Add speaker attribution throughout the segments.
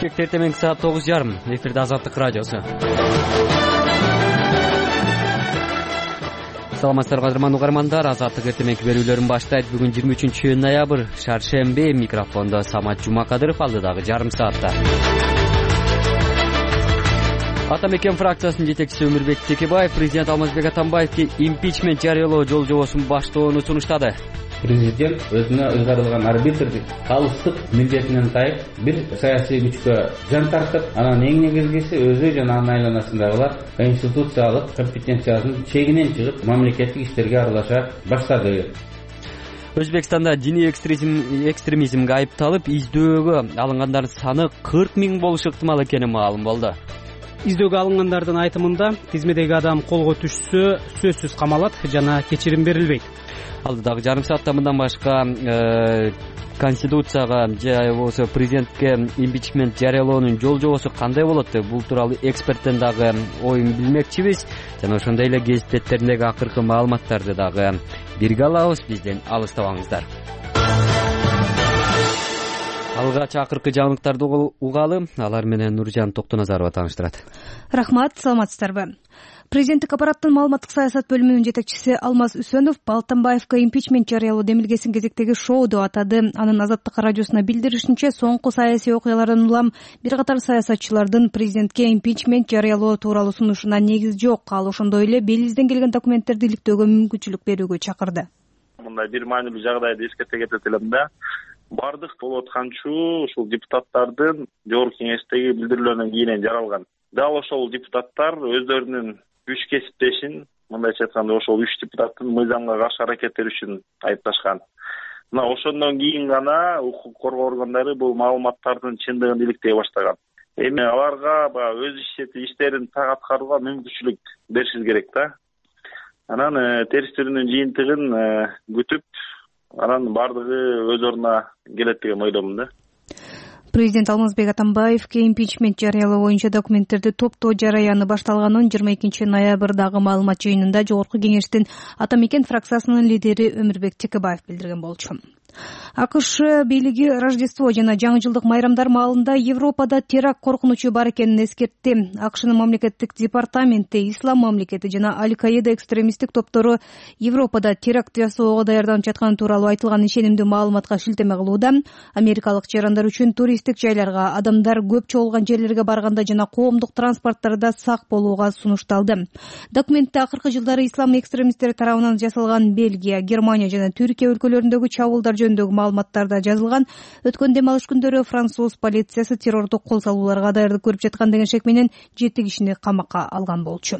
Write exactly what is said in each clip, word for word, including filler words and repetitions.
Speaker 1: Бишкекте эртең саат тогуз жарым. Эфирде Азаттык радиосу. Саламатсыздарбы кадырман угармандар. Азаттык эртең берүүлөрүн баштайт. Бүгүн жыйырма үчүнчү ноябрь, шаршемби. Микрофондо Самат Жумакадыров, алдыдагы жарым саатта. Ата мекен фракциясынын жетекчиси Өмүрбек Текебаев президент Алмазбек Атамбаевге импичмент жарыялоо жол жобосун баштоону сунуштады.
Speaker 2: Президент өзүнө өзгөрүлгөн арбитрдик калыстык милдетинен тайып, бир саясий күчкө жан тартып, анан эң негизгиси өзү жана анын айланасындагылар конституциялык компетенциясынын чегинен чыгып, мамлекеттик иштерге аралаша баштады.
Speaker 1: Өзбекстанда диний экстремизм экстремизмге айыпталып, издөөгө алынгандардын саны кырк миң болушу ыктымал экени маалым болду.
Speaker 3: Издөөгө алынгандардын айтымында тизмедеги адам колго түшсө сөзсүз камалат жана кечирим берилбейт.
Speaker 1: Алдыдагы жарым саатта мындан башка конституцияга же болбосо президентке импичмент жарыялоонун жол жобосу кандай болот деп, бул тууралуу эксперттен дагы оюн билмекчибиз. Жана ошондой эле гезит беттериндеги акыркы маалыматтарды дагы бирге алабыз. Бизден алыстабаңыздар. Алгач акыркы жаңылыктарды угалы, алар менен Нуржан Токтоназарова тааныштырат.
Speaker 4: Рахмат, саламатсыздарбы? Президенттик аппараттын маалыматтык саясат бөлүмүнүн жетекчиси Алмаз Үсөнов Атамбаевге импичмент жарыялоо демилгесин кезектеги шоу деп атады. Анын Азаттык радиосуна билдиришинче, соңку саясий окуялардан улам бир катар саясатчылардын президентке импичмент жарыялоо тууралуу сунушуна негиз жок. Ал ошондой эле белгизден келген документтерди иликтөөгө мүмкүнчүлүк берүүгө чакырды.
Speaker 5: Мындай бир маанилүү жагдайды эскерте кетет элем да. Бардык болуп атканчу ушул депутаттардын жогорку кеңештеги билдирүүлөрүнөн кийин жаралган. Дал ошол депутаттар өздөрүнүн үч кесиптешин, мындайча айтканда ошол үч депутаттын мыйзамга каршы аракеттери үчүн айыпташкан. Мына ошондон кийин гана укук коргоо органдары бул маалыматтардын чындыгын иликтей баштаган. Эми аларга баягы өз иштерин так аткарууга мүмкүнчүлүк беришиз керек да. Анан терс түрүнүн жыйынтыгын күтүп, анан бардыгы өз ордуна келет деген ойлоймун да.
Speaker 4: Президент Алмазбек Атамбаевге импичмент жарыялоо боюнча документтерди топтоо жараяны башталганын жыйырма экинчи ноябрдагы маалымат жыйынында Жогорку кеңештин Ата мекен фракциясынын лидери Өмүрбек Текебаев билдирген болчу. АКШ бийлиги Рождество жана жаңы жылдык майрамдар маалында Европада теракт коркунучу бар экенин эскертти. АКШнын мамлекеттик департаменти Ислам мамлекети жана Аль-Каида экстремисттик топтору Европада теракт жасоого даярданып жатканы тууралуу айтылган ишенимдүү маалыматка шилтеме кылууда. Америкалык жарандар үчүн туристтик жайларга, адамдар көп чогулган жерлерге барганда жана коомдук транспорттарда сак болууга сунушталды. Документте акыркы жылдары ислам экстремисттери тарабынан жасалган Бельгия, Германия жана Түркия өлкөлөрүндөгү чабуулдар жөнүндөгү маалыматтарда жазылган. Өткөн дем алыш күндөрү француз полициясы террордук кол салууларга даярдык көрүп жаткан деген шек менен жети кишини камакка алган болчу.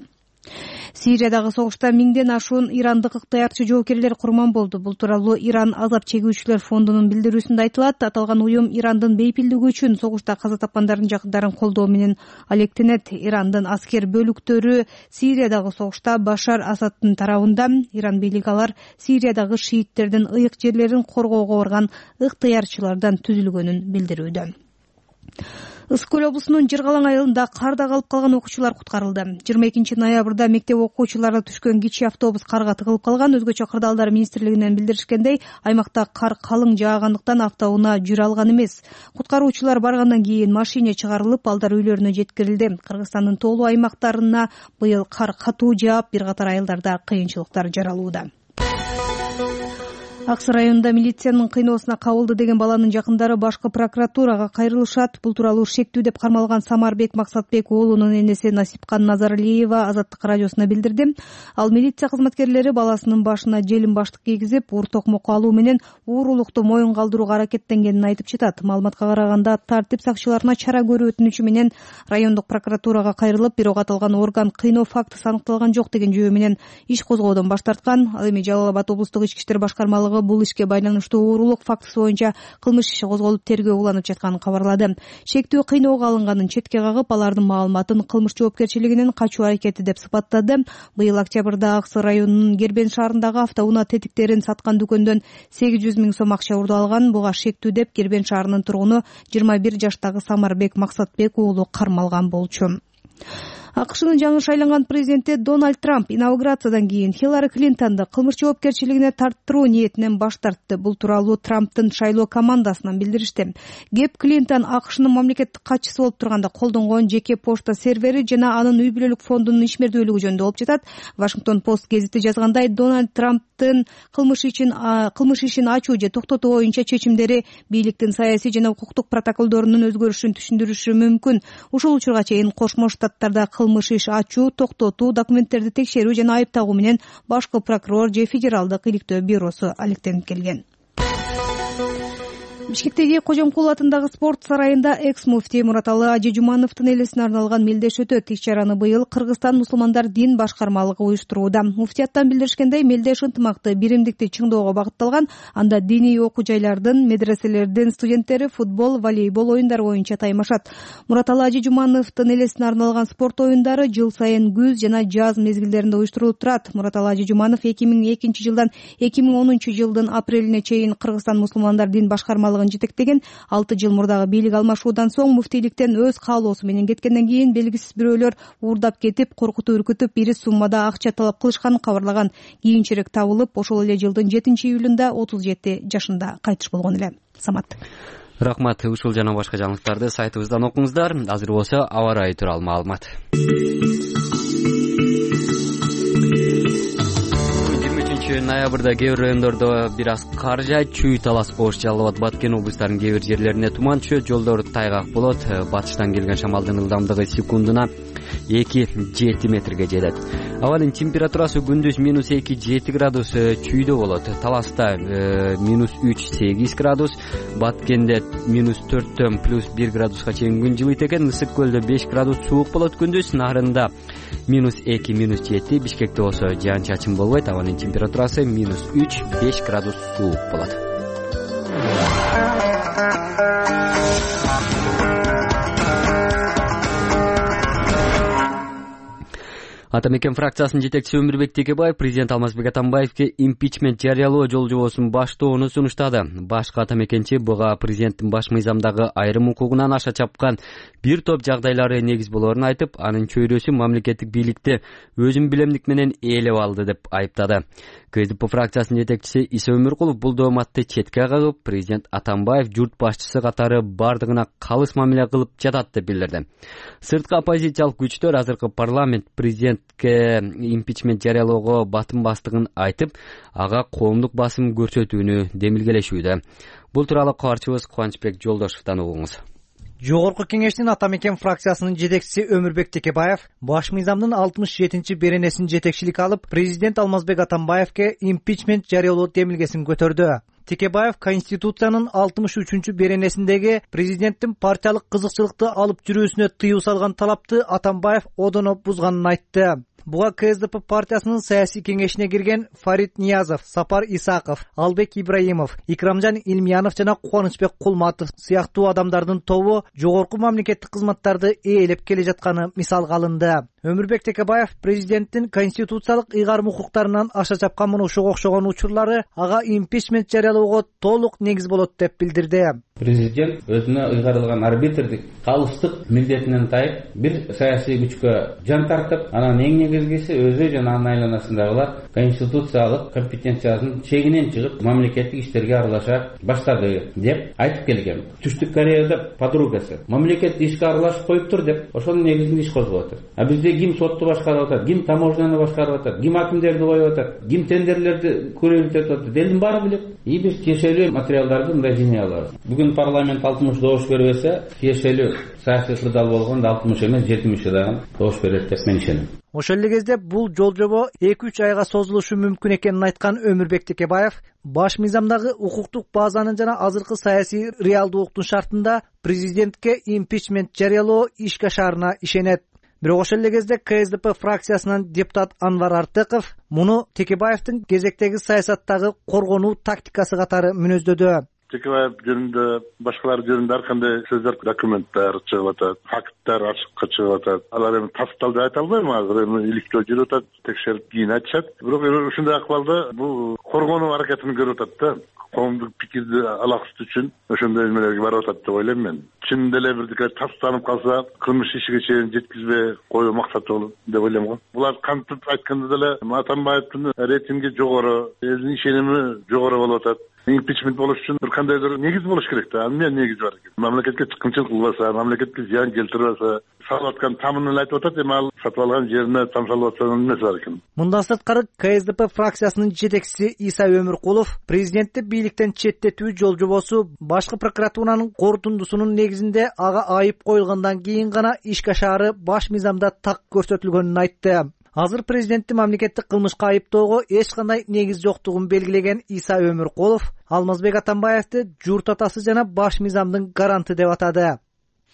Speaker 4: Сириядагы согушта миңден ашуун ирандык ыктыярчы жоокерлер курман болду. Бул тууралуу Иран азап чегүүчүлөр фондунун билдирүүсүндө айтылат. Аталган уюм Ирандын бейпилдиги үчүн согушта каза тапкандардын жакындарын колдоо менен алектенет. Ирандын аскер бөлүктөрү Сириядагы согушта Башар Асадтын тарабында. Иран бийлиги алар Сириядагы шииттердин ыйык жерлерин коргоого барган ыктыярчылардан түзүлгөнүн билдирүүдө. Ысык көл облусунун Жыргалаң айылында карда калып калган окуучулар куткарылды. жыйырма экинчи ноябрда мектеп окуучуларына түшкөн кичи автобус карга тыгылып калган. Өзгөчө кырдаалдар министрлигинен билдиришкендей, аймакта кар калың жаагандыктан автоунаа жүрө алган эмес. Куткаруучулар баргандан кийин машине чыгарылып, балдар үйлөрүнө жеткирилди. Кыргызстандын тоолуу аймактарына быйыл кар катуу жаап, бир катар айылдарда кыйынчылыктар жаралууда. Аксы районунда милициянын кыйноосуна кабылды деген баланын жакындары башкы прокуратурага кайрылышат. Бул тууралуу шектүү деп кармалган Самарбек Максатбек уулунун энеси Насипкан Назарлиева Азаттык радиосуна билдирди. Ал милиция кызматкерлери баласынын башына желим баштык кийгизип, уур токмокко алуу менен уурулукту моюн калдырууга аракеттенгенин айтып жатат. Маалыматка караганда, тартип сакчыларына чара көрүү өтүнүчү менен райондук прокуратурага кайрылып, бирок аталган орган кыйноо фактысы аныкталган жок деген жүйө менен иш козгоодон баш тарткан. Ал эми Жалал Абад облустук ички иштер башкармалыгы бул ишке байланыштуу уурулук фактысы боюнча кылмыш иши козголуп тергөө уланып жатканын кабарлады. Шектүү кыйноого алынганын четке кагып, алардын маалыматын кылмыш жоопкерчилигинен качуу аракети деп сыпаттады. Быйыл октябрда Аксы районунун Гербен шаарындагы автоунаа тетиктерин саткан дүкөндөн сегиз жүз миң сом акча урду алган. Буга шектүү деп Гербен шаарынын тургуну жыйырма бир жаштагы Самарбек Максатбек уулу кармалган болчу. АКШнын жаңы шайланган президенти Дональд Трамп инаугурациядан кийин Хиллари Клинтонду кылмыш жоопкерчилигине тарттыруу ниетинен баш тартты. Бул тууралуу Трамптын шайлоо командасынан билдиришти. Кеп Клинтон АКШнын мамлекеттик катчысы болуп турганда колдонгон жеке почта сервери жана анын үй бүлөлүк фондунун ишмердүүлүгү жөнүндө болуп жатат. Вашингтон Пост гезити жазгандай, Дональд Трамптын кылмыш ишин кылмыш ишин ачуу же токтотуу боюнча чечимдери бийликтин саясий жана укуктук протоколдорунун өзгөрүшүн түшүндүрүшү мүмкүн. Ушул учурга чейин Кошмо Штаттарда кылмыш иш ачуу, токтотуу, документтерди текшерүү жана айыптагуу менен башкы прокурор же федералдык иликтөө бюросу алектенип келген. Бишкектеги Кожомкул атындагы спорт сарайында экс-муфтий Мураталы Ажи Жумановдун элесине арналган мелдеш өтөт. Иш-чараны быйыл Кыргызстан мусулмандар дин башкармалыгы уюштурууда. Муфтияттан билдиришкендей, мелдеш ынтымакты, биримдикти чыңоого багытталган. Анда диний окуу жайлардын, медреселердин студенттери футбол, волейбол оюндары боюнча таймашат. Мураталы Ажи Жумановдун элесине арналган спорт оюндары жыл сайын күз жана жаз мезгилдеринде уюштурулуп турат. Мураталы Ажи Жуманов эки миң экинчи жылдан эки миң онунчу жылдын апрелине чейин Кыргызстан мусулмандар дин башкармалыгын жетектеген. алты жыл мурдагы бийлик алмашуудан соң муфтийликтен өз каалоосу менен кеткенден кийин белгисиз бирөөлөр уурдап кетип, коркутуп үркүтүп, ири суммада акча талап кылышканын кабарлаган. Кийинчерээк табылып, ошол эле жылдын жетинчи июлунда отуз жети жашында кайтыш болгон эле. Самат.
Speaker 1: Рахмат. Ушул жана башка жаңылыктарды сайтыбыздан окуңуздар. Азыр болсо аба ырайы тууралуу маалымат. Ноябрда кээ бир райондордо бир аз кар жаайт, чүй талас коош Жалал Абад, Баткен облустарынын кээ бир жерлерине туман түшөт, жолдор тайгак болот. Батыштан келген шамалдын ылдамдыгы секундуна эки жети метрге жетет. Абанын температурасы күндүз минус эки жети градус чүйдө болот. Таласта минус үч сегиз градус, Баткенде минус төрттөн плюс бир градуска чейин күн жылыйт экен. Ысык көлдө беш градус суук болот күндүз, Нарында минус эки минус жети, Бишкекте болсо жаан чачын болбойт. Абанын температурасы минус үч беш градус суук болот. Ата мекен фракциясынын жетекчиси Өмүрбек Текебаев президент Алмазбек Атамбаевке импичмент жарыялоо жол жобосун баштоону сунуштады. Башкы ата мекенчи буга президенттин баш мыйзамдагы айрым укугунан аша чапкан бир топ жагдайлары негиз болоорун айтып, анын чөйрөсү мамлекеттик бийликти өзүн билемдик менен ээлеп алды деп айыптады. КСДП фракциясынын жетекчиси Иса Өмүркулов бул дооматты четке кагып, президент Атамбаев журт башчысы катары бардыгына калыс мамиле кылып жатат деп билдирди. Сырткы оппозициялык күчтөр азыркы парламент президентке импичмент жарыялоого батым бастыгын айтып, ага коомдук басым көрсөтүүнү демилгелешүүдө. Бул тууралуу кабарчыбыз Кубанычбек Жолдошовдон угуңуз.
Speaker 6: Жогорку кеңештин ата мекен фракциясынын жетекчиси Өмүрбек Текебаев баш мыйзамдын алтымыш жетинчи беренесин жетекчилик алып, президент Алмазбек Атамбаевке импичмент жарыялоо демилгесин көтөрдү. Текебаев Конституциянын алтымыш үчүнчү беренесиндеги президенттин партиялык кызыкчылыкты алып жүрүүсүнө тыюу салган талапты Атамбаев одоно бузганын айтты. Буга КСДП партиясынын саясий кеңешине кирген Фарид Ниязов, Сапар Исаков, Албек Ибраимов, Икрамжан Илмиянов жана Кубанычбек Кулматов сыяктуу адамдардын тобу жогорку мамлекеттик кызматтарды ээлеп келе жатканы мисалга алынды. Өмүрбек Текебаев президенттин конституциялык ыйгарым укуктарынан аша чапкан муну ушуга окшогон учурлары ага импичмент жарыялоого толук негиз болот деп билдирди.
Speaker 2: Президент өзүнө ыйгарылган арбитрдик калыстык милдетинен тайып, бир саясий күчкө жан тартып, анан эң негизгиси өзү жана анын айланасындагылар конституциялык компетенциясынын чегинен чыгып, мамлекеттик иштерге аралаша баштады деп айтып келген. Түштүк Кореяда подругасы мамлекет ишке аралашып коюптур деп, ошонун негизинде иш козгоп атат. А бизде ким сотту башкарып атат, ким таможняны башкарып атат, ким акимдерди коюп атат, ким тендерлерди көрөөлүтүп атат, элдин баары билет. И биз тиешелүү материалдарды мындай жиней алабыз. Бүгүн парламент алтымыш добуш бербесе, тиешелүү саясий кырдаал болгондо алтымыш эмес жетимиш дагы добуш берет деп мен ишенем.
Speaker 6: Ошол эле кезде бул жол жобо эки үч айга созулушу мүмкүн экенин айткан Өмүрбек Текебаев баш мыйзамдагы укуктук базанын жана азыркы саясий реалдуулуктун шартында президентке импичмент жарыялоо ишке ашаарына ишенет. Бирок ошол эле кезде КСДП фракциясынан депутат Анвар Артыков муну Текебаевдин кезектеги саясаттагы коргонуу тактикасы катары мүнөздөдү.
Speaker 7: Текебаев жөнүндө, башкалар жөнүндө ар кандай сөздөр, документтер чыгып атат, факттар ачыкка чыгып атат. Алар эми тасталды айта албайм, азыр эми иликтөө жүрүп атат, текшерип кийин айтышат. Бирок ушундай акыбалда бул коргонуу аракетин көрүп атат да. коомдук пикирди алаксытуу үчүн ошондой эмелерге барып атат деп ойлойм мен. Чын деле бирдеке тастанып калса, кылмыш ишиге чейин жеткизбей коюу максаты болот деп ойлойм го. Булар кантип айтканда деле Атамбаевдин рейтинги жогору, элдин ишеними жогору болуп атат. Импичмент болуш үчүн бир кандайдыр негиз болуш керек да. Эмне негизи бар экен? Мамлекетке чыккынчылык кылбаса, мамлекетке зыян келтирбесе, салып аткан тамын эле айтып атат, эми ал сатып алган жерине там салып аткан эмеси бар экен.
Speaker 6: Мындан сырткары КСДП фракциясынын жетекчиси Иса Өмүркулов президентти бийликтен четтетүү жол жобосу башкы прокуратуранын корутундусунун негизинде ага айып коюлгандан кийин гана ишке ашаары баш мыйзамда так көрсөтүлгөнүн айтты. Азыр президентти мамлекеттик кылмышка айыптоого эч кандай негиз жоктугун белгилеген Иса Өмүркулов Алмазбек Атамбаевди журт атасы жана баш мыйзамдын гаранты деп атады.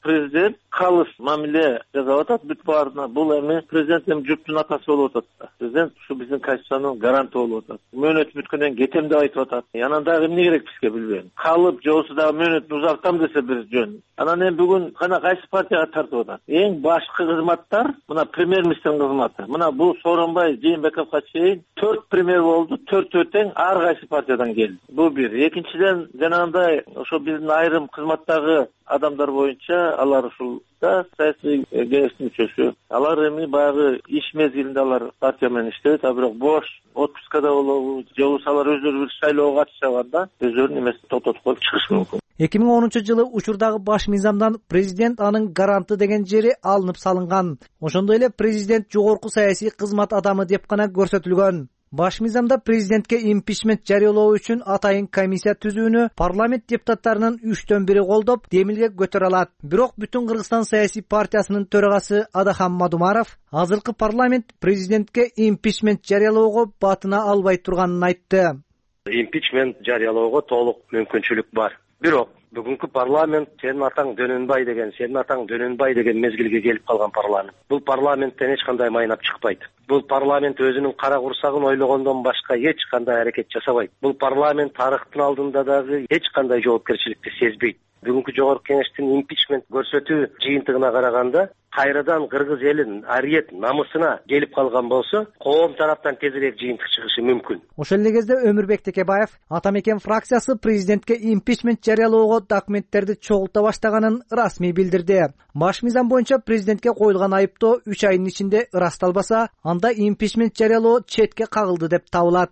Speaker 8: Президент калыс мамиле жасап атат бүт баарына. Бул эми президент эми журттун атасы болуп атат. Президент ушу биздин конституциянын гаранты болуп атат. Мөөнөт бүткөндөн кетем деп айтып атат. Анан дагы эмне керек бизге билбейм. Калып же болбосо дагы мөөнөтүн узартам десе бир жөн. Анан эми бүгүн кана кайсы партияга тартып атат? Эң башкы кызматтар мына премьер-министрдин кызматы. Мына бул Сооронбай Жээнбековго чейин төрт премьер болду, төртөө тең ар кайсы партиядан келди. Бул бир. Экинчиден жанагындай ошо биздин айрым кызматтагы адамдар боюнча алар ушул да саясий кеңештин мүчөсү. Алар эми баягы иш мезгилинде алар партия менен иштейт, а бирок бош отпускада болобу, же болбосо алар өздөрү бир шайлоого катышканда өздөрүнүн эмесин токтотуп коюп чыгышы мүмкүн.
Speaker 6: эки миң онунчу жылы учурдагы баш мыйзамдан президент анын гаранты деген жери алынып салынган. Ошондой эле президент жогорку саясий кызмат адамы деп гана көрсөтүлгөн. Баш мыйзамда президентке импичмент жарыялоо үчүн атайын комиссия түзүүнү парламент депутаттарынын үчтөн бири колдоп, демилге көтөрө алат. Бирок бүтүн Кыргызстан саясий партиясынын төрагасы Адахан Мадумаров азыркы парламент президентке импичмент жарыялоого батына албай турганын айтты.
Speaker 9: Импичмент жарыялоого толук мүмкүнчүлүк бар. Бирок бүгүнкү парламент сенин атаң Дөнөнбай деген, сенин атаң Дөнөнбай деген мезгилге келип калган парламент. Бул парламенттен эч кандай майнап чыкпайт. Бул парламент өзүнүн кара курсагын ойлогондон башка эч кандай аракет жасабайт. Бул парламент тарыхтын алдында дагы эч кандай жоопкерчиликти сезбейт. Бүгүнкү жогорку кеңештин импичмент көрсөтүү жыйынтыгына караганда кайрадан кыргыз элин ариет намысына келип калган болсо, коом тараптан тезирээк жыйынтык чыгышы мүмкүн.
Speaker 6: Ошол эле кезде Өмүрбек Текебаев Атамекен фракциясы президентке импичмент жарыялоого документтерди чогулта баштаганын расмий билдирди. Баш мыйзам боюнча президентке коюлган айыптоо үч айдын ичинде ырасталбаса, анда импичмент жарыялоо четке кагылды деп табылат.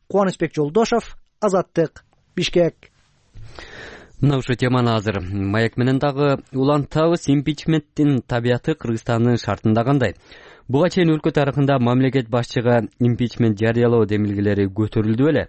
Speaker 6: Кубанычбек Жолдошов, Азаттык, Бишкек.
Speaker 1: Мына ушул теманы азыр маек менен дагы улантабыз. Импичменттин табияты Кыргызстандын шартында кандай? Буга чейин өлкө тарыхында мамлекет башчыга импичмент жарыялоо демилгелери көтөрүлдү беле?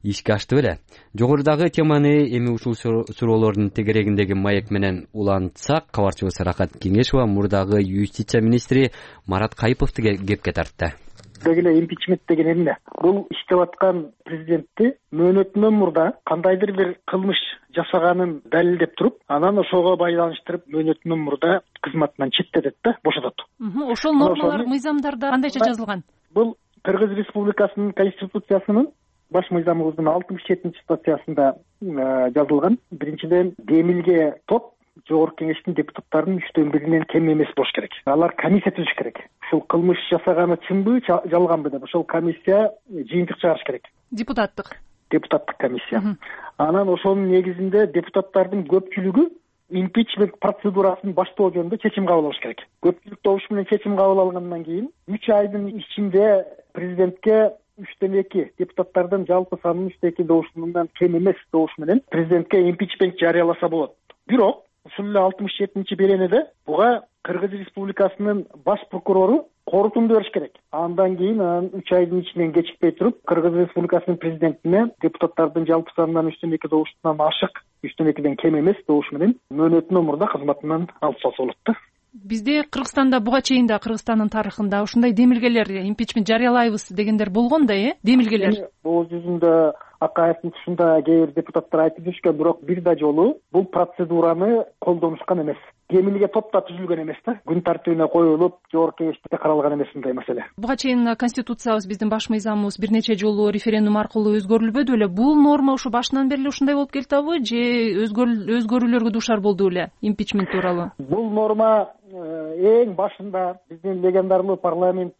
Speaker 1: Ишке ашты беле? Жогорудагы теманы эми ушул суроолордун тегерегиндеги маек менен улантсак, кабарчыбыз Рахат Кеңешова мурдагы юстиция министри Марат Кайыповду кепке тартты.
Speaker 10: Дегеле импичмент деген эмне? Бул иштеп аткан президентти мөөнөтүнөн мурда кандайдыр бир кылмыш жасаганын далилдеп туруп, анан ошого байланыштырып мөөнөтүнөн мурда кызматынан четтетет да, бошотот.
Speaker 11: Ошол нормалар мыйзамдарда кандайча жазылган?
Speaker 10: Бул Кыргыз Республикасынын конституциясынын баш мыйзамыбыздын алтымыш жетинчи статьясында жазылган. Биринчиден, демилге топ жогорку кеңештин депутаттарынын үчтөн биринен кем эмес болуш керек. Алар комиссия түзүш керек. Ушул кылмыш жасаганы чынбы, жалганбы деп ошол комиссия жыйынтык чыгарыш керек.
Speaker 11: Депутаттык.
Speaker 10: Депутаттык комиссия. Анан ошонун негизинде депутаттардын көпчүлүгү импичмент процедурасын баштоо жөнүндө чечим кабыл алыш керек. Көпчүлүк добуш менен чечим кабыл алгандан кийин үч айдын ичинде президентке үчтөн эки депутаттардын жалпы санынын үчтөн эки добушунан кем эмес добуш менен президентке импичмент жарыяласа болот. Бирок ушул эле алтымыш жетинчи беренеде буга Кыргыз Республикасынын баш прокурору корутунду бериш керек. Андан кийин анан үч айдын ичинен кечикпей туруп Кыргыз Республикасынын президентине депутаттардын жалпы санынан үчтөн эки добушунан ашык, үчтөн экиден кем эмес добуш менен мөөнөтүнөн мурда кызматынан алып салса болот да.
Speaker 11: Бизде Кыргызстанда буга чейин да Кыргызстандын тарыхында ушундай демилгелер, импичмент жарыялайбыз дегендер болгон да, э? Демилгелер. Бул
Speaker 10: жүзүндө Акаевдин тушунда кээ бир депутаттар айтып жүрүшкөн, бирок бир да жолу бул процедураны колдонушкан эмес. Демилге топ да түзүлгөн эмес да. Күн тартибине коюлуп, жогорку кеңеште каралган эмес мындай маселе.
Speaker 11: Буга чейин конституциябыз, биздин баш мыйзамыбыз бир нече жолу референдум аркылуу өзгөрүлбөдү беле? Бул норма ушу башынан бери эле ушундай болуп келатабы же өзгөрүүлөргө дуушар болду беле импичмент тууралуу?
Speaker 10: Бул норма эң башында биздин легендарлуу парламент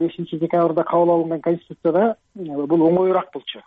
Speaker 10: бешинчи декабрда кабыл алынган конституцияда бул оңоюраак болчу.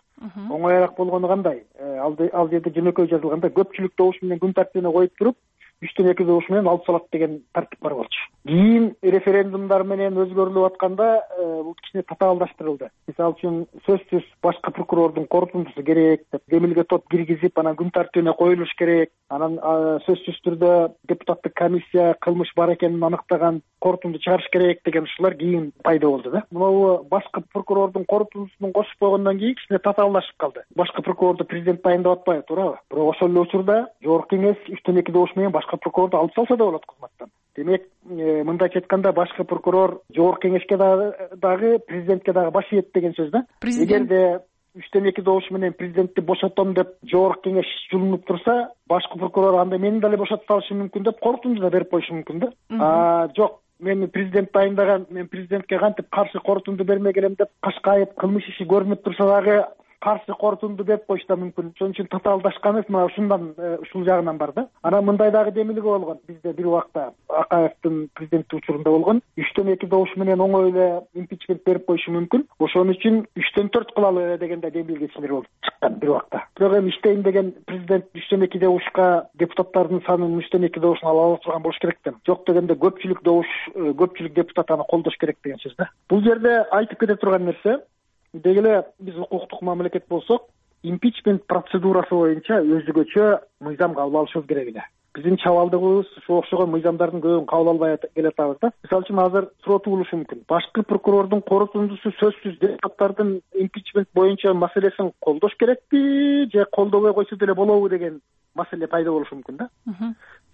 Speaker 10: Оңоюраак болгону кандай? Ал жерде жөнөкөй жазылганда көпчүлүк добуш менен күн тартибине коюп туруп үчтөн эки добуш менен алып салат деген тартип бар болчу. Кийин референдумдар менен өзгөрүлүп атканда бул кичине татаалдаштырылды. Мисалы үчүн сөзсүз башкы прокурордун корутундусу керек деп демилге топ киргизип, анан күн тартибине коюлуш керек. Анан сөзсүз түрдө депутаттык комиссия кылмыш бар экенин аныктаган корутунду чыгарыш керек деген ушулар кийин пайда болду да. Мына башкы прокурордун корутундусун кошуп койгондон кийин кичине татаалдашып калды. Башкы прокурорду президент дайындап атпайбы, туурабы? Бирок ошол эле учурда жогорку кеңеш үчтөн эки добуш менен башкы прокурорду алып салса да болот кызматтан. Демек, мындайча айтканда башкы прокурор жогорку кеңешке дагы президентке дагы баш ийет деген сөз да. Эгерде үчтөн эки добуш менен президентти бошотом деп жогорку кеңеш жулунуп турса, башкы прокурор анда мени деле бошотуп салышы мүмкүн деп корутунду да берип коюшу мүмкүн да. А жок, мени президент дайындаган, мен президентке кантип каршы корутунду бермек элем деп кашкайып кылмыш иши көрүнүп турса дагы каршы корутунду берип коюшу да мүмкүн. Ошон үчүн татаалдашканыбыз мына ушундан, ушул жагынан бар да. Анан мындай дагы демилге болгон. Бизде бир убакта Акаевдин президенттик учурунда болгон. үчтөн эки добуш менен оңой эле импичмент берип коюшу мүмкүн. Ошон үчүн үчтөн төрт кылалы дегенде демилгечилер болуп чыккан бир убакта. Бирок эми иштейм деген президент үчтөн эки добушка депутаттардын санын үчтөн эки добушун ала ала турган болуш керек да. Жок дегенде көпчүлүк добуш, көпчүлүк депутат аны колдош керек деген сөз да. Бул жерде айтып кете турган нерсе, деги эле биз укуктук мамлекет болсок, импичмент процедурасы боюнча өзгөчө мыйзам кабыл алышыбыз керек эле. Биздин чабалдыгыбыз ушуга окшогон мыйзамдардын көбүн кабыл албай келатабыз да. Мисалы үчүн азыр суроо туулушу мүмкүн. Башкы прокурордун корутундусу сөзсүз депутаттардын импичмент боюнча маселесин колдош керекпи же колдобой койсо деле болобу деген маселе пайда болушу мүмкүн да.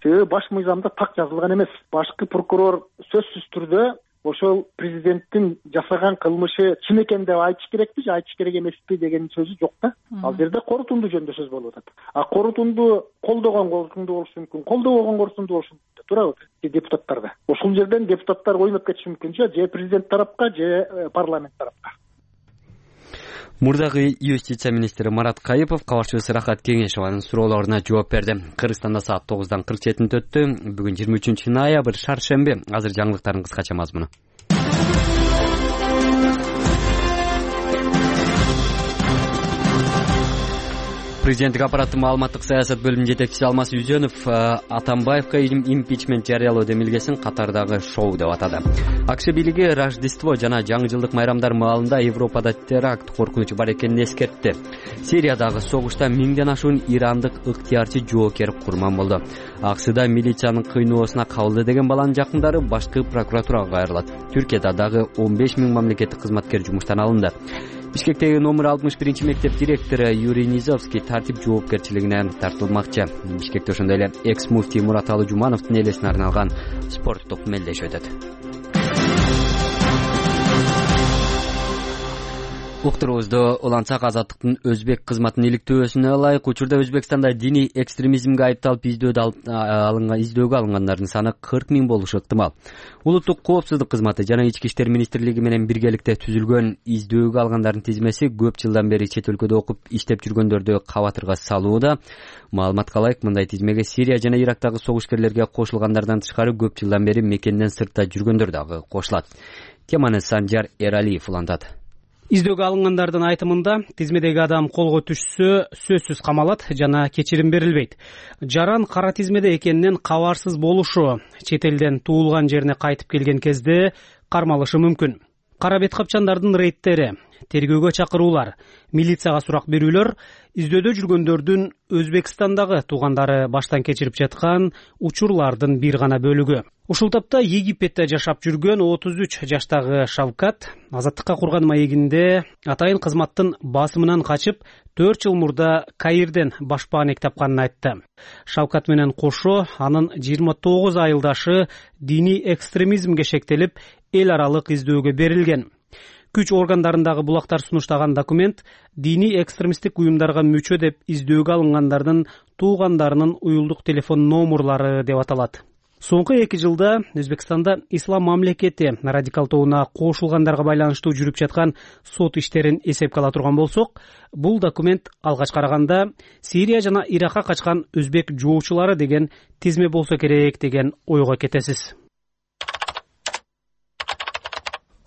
Speaker 10: Себеби баш мыйзамда так жазылган эмес. Башкы прокурор сөзсүз түрдө ошол президенттин жасаган кылмышы чын экен деп айтыш керекпи же айтыш керек эмеспи деген сөзү жок да. Ал жерде корутунду жөнүндө сөз болуп атат. А корутунду колдогон корутунду болушу мүмкүн, колдобогон корутунду болушу мүмкүн, туурабы? Депутаттарда. Ошол жерден депутаттар ойноп кетиши мүмкүн же президент тарапка же парламент тарапка.
Speaker 1: Мурдагы юстиция министри Марат Кайыпов кабарчыбыз Рахат Кеңешованын суроолоруна жооп берди. Кыргызстанда саат тогуздан кырк жетинде өттү. Бүгүн жыйырма үчүнчү ноябрь, шаршемби. Азыр жаңылыктардын кыскача мазмуну. Президенттик аппараттын маалыматтык саясат бөлүмүнүн жетекчиси Алмаз Үзөнов Атамбаевка импичмент жарыялоо демилгесин катардагы шоу деп атады. АКШ бийлиги Рождество жана жаңы жылдык майрамдар маалында Европада теракт коркунучу бар экенин эскертти. Сириядагы согушта миңден ашуун ирандык ыктыярчы жоокер курман болду. АКШда милициянын кыйноосуна кабылды деген баланын жакындары башкы прокуратурага кайрылат. Түркияда дагы он беш миң мамлекеттик кызматкер жумуштан алынды. Бишкектеги номер алтымыш биринчи мектеп директору Юрий Низовский тартип жоопкерчилигине тартылмакчы. Бишкекте ошондой эле экс муфтий Мураталы Жумановдун элесине арналган спорттук мелдеш өтөт. Уктуруубузду улантсак, Азаттыктын өзбек кызматынын иликтөөсүнө ылайык учурда Өзбекстанда диний экстремизмге айыпталып издөөгө алынгандардын саны кырк миң болушу ыктымал. Улуттук коопсуздук кызматы жана Ички иштер министрлиги менен биргеликте түзүлгөн издөөгө алгандардын тизмеси көп жылдан бери чет өлкөдө окуп иштеп жүргөндөрдү кабатырга салууда. Маалыматка ылайык, мындай тизмеге Сирия жана Ирактагы согушкерлерге кошулгандардан тышкары көп жылдан бери мекенден сыртта жүргөндөр дагы кошулат. Теманы Санжар Эралиев улантат.
Speaker 3: Издөөгө алынгандардын айтымында тизмедеги адам колго түшсө сөзсүз камалат жана кечирим берилбейт. Жаран кара тизмеде экенинен кабарсыз болушу, чет элден туулган жерине кайтып келген кезде кармалышы мүмкүн. Кара бет капчандардын рейдтери, тергөөгө чакыруулар, милицияга сурак берүүлөр издөдө жүргөндөрдүн Өзбекстандагы туугандары баштан кечирип жаткан учурлардын бир гана бөлүгү. Ушул тапта Египетте жашап жүргөн отуз үч жаштагы Шавкат азаттыкка курган маегинде атайын кызматтын басымынан качып төрт жыл мурда Каирден башпаанек тапканын айтты. Шавкат менен кошо анын жыйырма тогуз айылдашы диний экстремизмге шектелип эл аралык издөөгө берилген. Күч органдарындагы булактар сунуштаган документ диний экстремисттик уюмдарга мүчө деп издөөгө алынгандардын туугандарынын уюлдук телефон номерлары деп аталат. Соңку эки жылда Өзбекстанда ислам мамлекети радикалдооуна кошулгандарга байланыштуу жүрүп жаткан сот иштерин эсепке ала турган болсок, бул документ алгач караганда Сирия жана Иракка качкан өзбек жоочулары деген тизме болсо керек деген ойго кетесиз.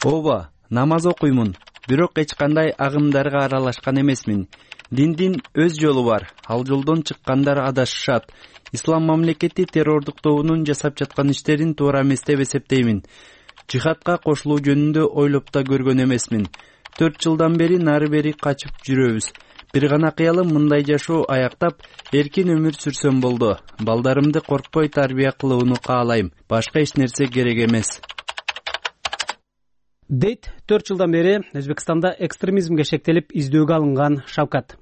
Speaker 12: ооба, намаз окуймун, бирок эч кандай агымдарга аралашкан эмесмин. Диндин өз жолу бар, ал жолдон чыккандар адашышат. Ислам мамлекети террордук тобунун жасап жаткан иштерин туура эмес деп эсептеймин. Жихадка кошулуу жөнүндө ойлоп да көргөн эмесмин. Төрт жылдан бери нары бери качып жүрөбүз. Бир гана кыялым мындай жашоо аяктап, эркин өмүр сүрсөм болду. Балдарымды коркпой тарбия кылууну каалайм. Башка эч нерсе керек эмес.
Speaker 3: Дейт төрт жылдан бери Өзбекстанда экстремизмге шектелип издөөгө алынган Шавкат.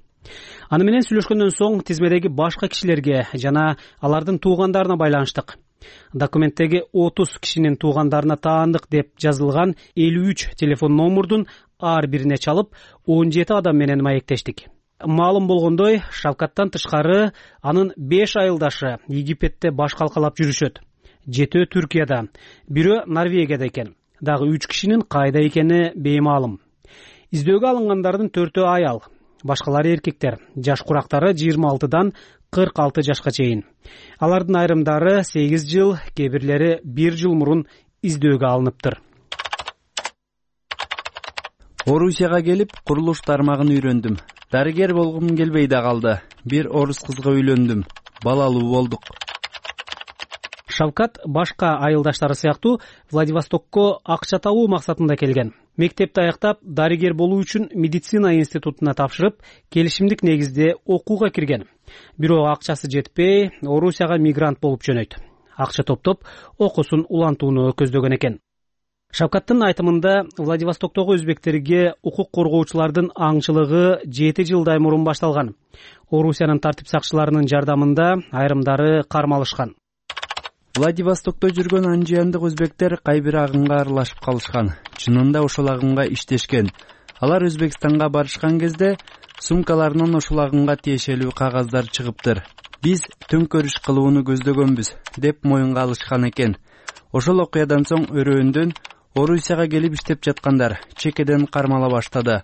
Speaker 3: Аны менен сүйлөшкөндөн соң тизмедеги башка кишилерге жана алардын туугандарына байланыштык. Документтеги отуз кишинин туугандарына таандык деп жазылган элүү үч телефон номурдун ар бирине чалып, он жети адам менен маектештик. Маалым болгондой, Шавкаттан тышкары анын беш айылдашы Египетте баш калкалап жүрүшөт. Жетөө Түркияда, бирөө Норвегияда экен. Дагы үч кишинин кайда экени беймаалым. Издөөгө алынгандардын төртөө аял, башкалары эркектер. Жаш курактары жыйырма алтыдан кырк алты жашка чейин. Алардын айрымдары сегиз жыл, кээ бирлери бир жыл мурун издөөгө алыныптыр.
Speaker 12: Орусияга келип, курулуш тармагын үйрөндүм. Дарыгер болгум келбей да калды. Бир орус кызга үйлөндүм. Балалуу болдук.
Speaker 3: Шавкат башка айылдаштары сыяктуу Владивостокко акча табуу максатында келген. Мектепти аяктап, дарыгер болуу үчүн медицина институтуна тапшырып, келишимдик негизде окууга кирген. Бирок акчасы жетпей, Орусияга мигрант болуп жөнөйт. Акча топтоп, окуусун улантууну көздөгөн экен. Шавкаттын айтымында Владивостоктогу өзбектерге укук коргоочулардын аңчылыгы жети жылдай мурун башталган. Орусиянын тартип сакчыларынын жардамында айрымдары кармалышкан.
Speaker 12: Владивостокто жүргөн анжыяндык өзбектер кайбир агымга аралашып калышкан. Чынында ошол агымга иштешкен. Алар Өзбекстанга барышкан кезде сумкаларынан ошол агымга тиешелүү кагаздар чыгыптыр. Биз төңкөрүш кылууну көздөгөнбүз деп моюнга алышкан экен. Ошол окуядан соң өрөөндөн Орусияга келип иштеп жаткандар чекеден кармала баштады.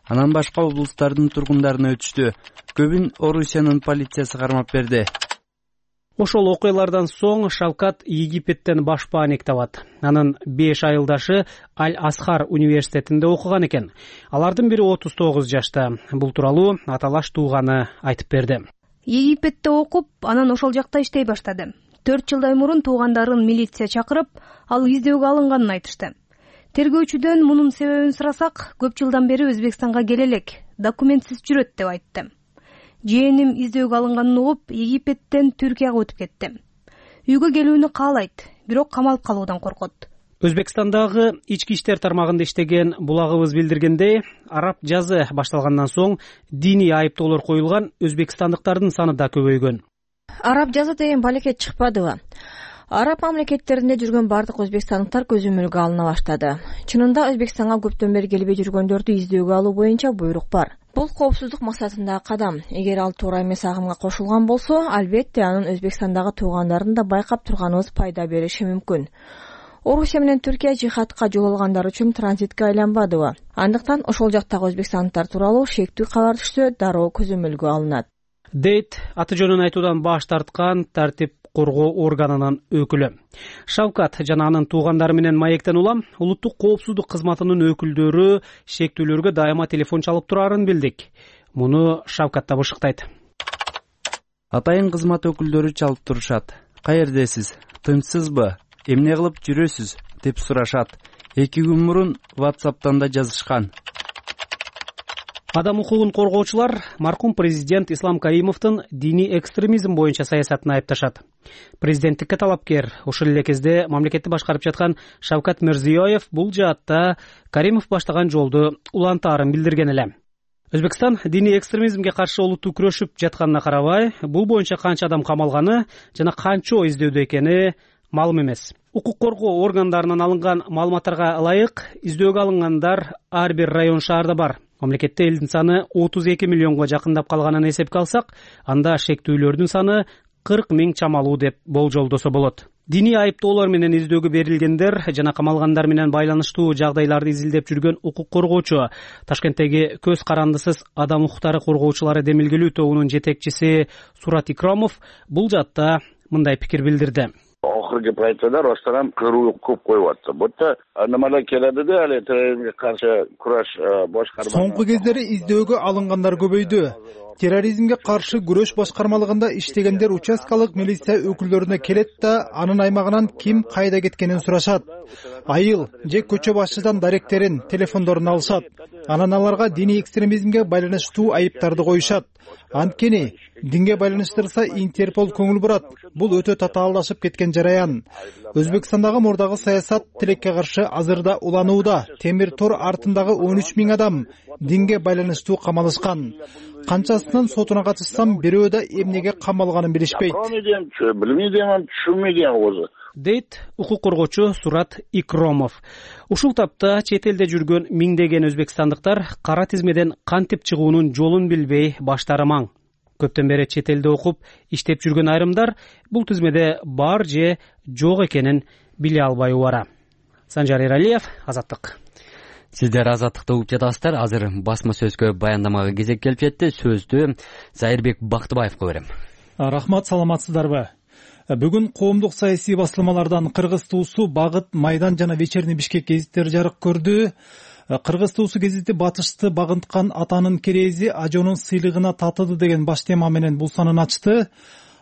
Speaker 12: Анан башка облустардын тургундарына өтүштү. Көбүн Орусиянын полициясы кармап берди.
Speaker 3: Ошол окуялардан соң Шавкат Египеттен башпааник табат. Анын беш айылдашы Аль-Асхар университетинде окуган экен. Алардын бири отуз тогуз жашта. Бул тууралуу аталаш тууганы айтып берди.
Speaker 4: Египетте окуп, анан ошол жакта иштей баштады. Төрт жылдай мурун туугандарын милиция чакырып, ал издөөгө алынганын айтышты. Тергөөчүдөн мунун себебин сурасак, көп жылдан бери Өзбекстанга келе элек, документсиз жүрөт деп айтты. Жээним издөөгө алынганын угуп, Египеттен Түркияга өтүп кетти. Үйгө келүүнү каалайт, бирок камалып калуудан коркот.
Speaker 3: Өзбекстандагы ички иштер тармагында иштеген булагыбыз билдиргендей, араб жазы башталгандан соң диний айыптоолор коюлган өзбекстандыктардын саны да көбөйгөн.
Speaker 13: Араб жазы деген балекет чыкпадыбы? Араб мамлекеттеринде жүргөн бардык өзбекстандыктар көзөмөлгө алына баштады. Чынында Өзбекстанга көптөн бери келбей жүргөндөрдү издөөгө алуу боюнча буйрук бар. Бул коопсуздук максатындагы кадам. Эгер ал туура эмес агымга кошулган болсо, албетте анын Өзбекстандагы туугандарын да байкап турганыбыз пайда бериши мүмкүн. Орусия менен Түркия жихадка жол алгандар үчүн транзитке айланбадыбы? Андыктан ошол жактагы өзбекстандыктар тууралуу шектүү кабар түшсө, дароо көзөмөлгө алынат.
Speaker 3: Дейт аты жөнүн айтуудан баш тарткан тартип коргоо органынын өкүлү. Шавкат жана анын туугандары менен маектен улам улуттук коопсуздук кызматынын өкүлдөрү шектүүлөргө дайыма телефон чалып турарын билдик. Муну Шавкат да бышыктайт.
Speaker 12: Атайын кызмат өкүлдөрү чалып турушат. Каердесиз? Тынчсызбы? Эмне кылып жүрөсүз? Деп сурашат. Эки күн мурун WhatsApp'тан да жазышкан.
Speaker 3: Адам укугун коргоочулар маркум президент Ислам Каримовдун диний экстремизм боюнча саясатын айыпташат. Президенттикке талапкер, ошол эле кезде мамлекетти башкарып жаткан Шавкат Мирзиёев бул жаатта Каримов баштаган жолду улантаарын билдирген эле. Өзбекстан диний экстремизмге каршы олуттуу күрөшүп жатканына карабай, бул боюнча канча адам камалганы жана канчо издөөдө экени маалым эмес. Укук коргоо органдарынан алынган маалыматтарга ылайык, издөөгө алынгандар ар бир район шаарда бар. Мамлекетте элдин саны отуз эки миллионго жакындап калганын эсепке алсак, анда шектүүлөрдүн саны кырк миң чамалуу деп болжолдосо болот. Диний айыптоолор менен издөөгө берилгендер жана камалгандар менен байланыштуу жагдайларды изилдеп жүргөн укук коргоочу Ташкенттеги көз карандысыз адам укуктары коргоочулары демилгелүү тобунун жетекчиси Сурат Икрамов бул жаатта мындай пикир билдирди.
Speaker 7: Акыркы пайтада Ростарам кыруу көп коюп атты. Бутта аномалия келди да, ал терроризмге каршы кураш башкарма.
Speaker 14: Соңку кездери издөөгө алынгандар көбөйдү. Терроризмге каршы күрөш башкармалыгында иштегендер участкалык милиция өкүлдөрүнө келет да, анын аймагынан ким кайда кеткенин сурашат. Айыл же көчө башчыдан даректерин, телефондорун алышат. Анан аларга диний экстремизмге байланыштуу айыптарды коюшат. Анткени динге байланыштырса Интерпол көңүл бурат. Бул өтө татаалдашып кеткен жараян. Өзбекстандагы мурдагы саясат тилекке каршы азырда уланууда. Темир тор артындагы он үч миң адам динге байланыштуу камалышкан. Канчасынан сотуна катышсам, бирөө да эмнеге камалганын билишпейт.
Speaker 7: Билмейм, түшүнбөйм өзү.
Speaker 3: Дейт укук коргоочу Сурат Икромов. Ушул тапта чет элде жүргөн миңдеген өзбекстандыктар кара тизмеден кантип чыгуунун жолун билбей баштары маң. Көптөн бери чет элде окуп, иштеп жүргөн айрымдар бул тизмеде бар же жок экенин биле албай убара. Санжар Эралиев, Азаттык.
Speaker 1: Сиздер Азаттыкты угуп жатасыздар. Азыр басма сөзгө баяндамага кезек келип жетти. Сөздү Зайырбек Бактыбаевга берем.
Speaker 14: Рахмат, саламатсыздарбы? Бүгүн коомдук саясий басылмалардан Кыргыз туусу Багыт, Майдан жана Вечерний Бишкек гезиттери жарык көрдү. Кыргыз туусу гезити батышты багынткан атанын керези ажонун сыйлыгына татыды деген баш тема менен бул санын ачты.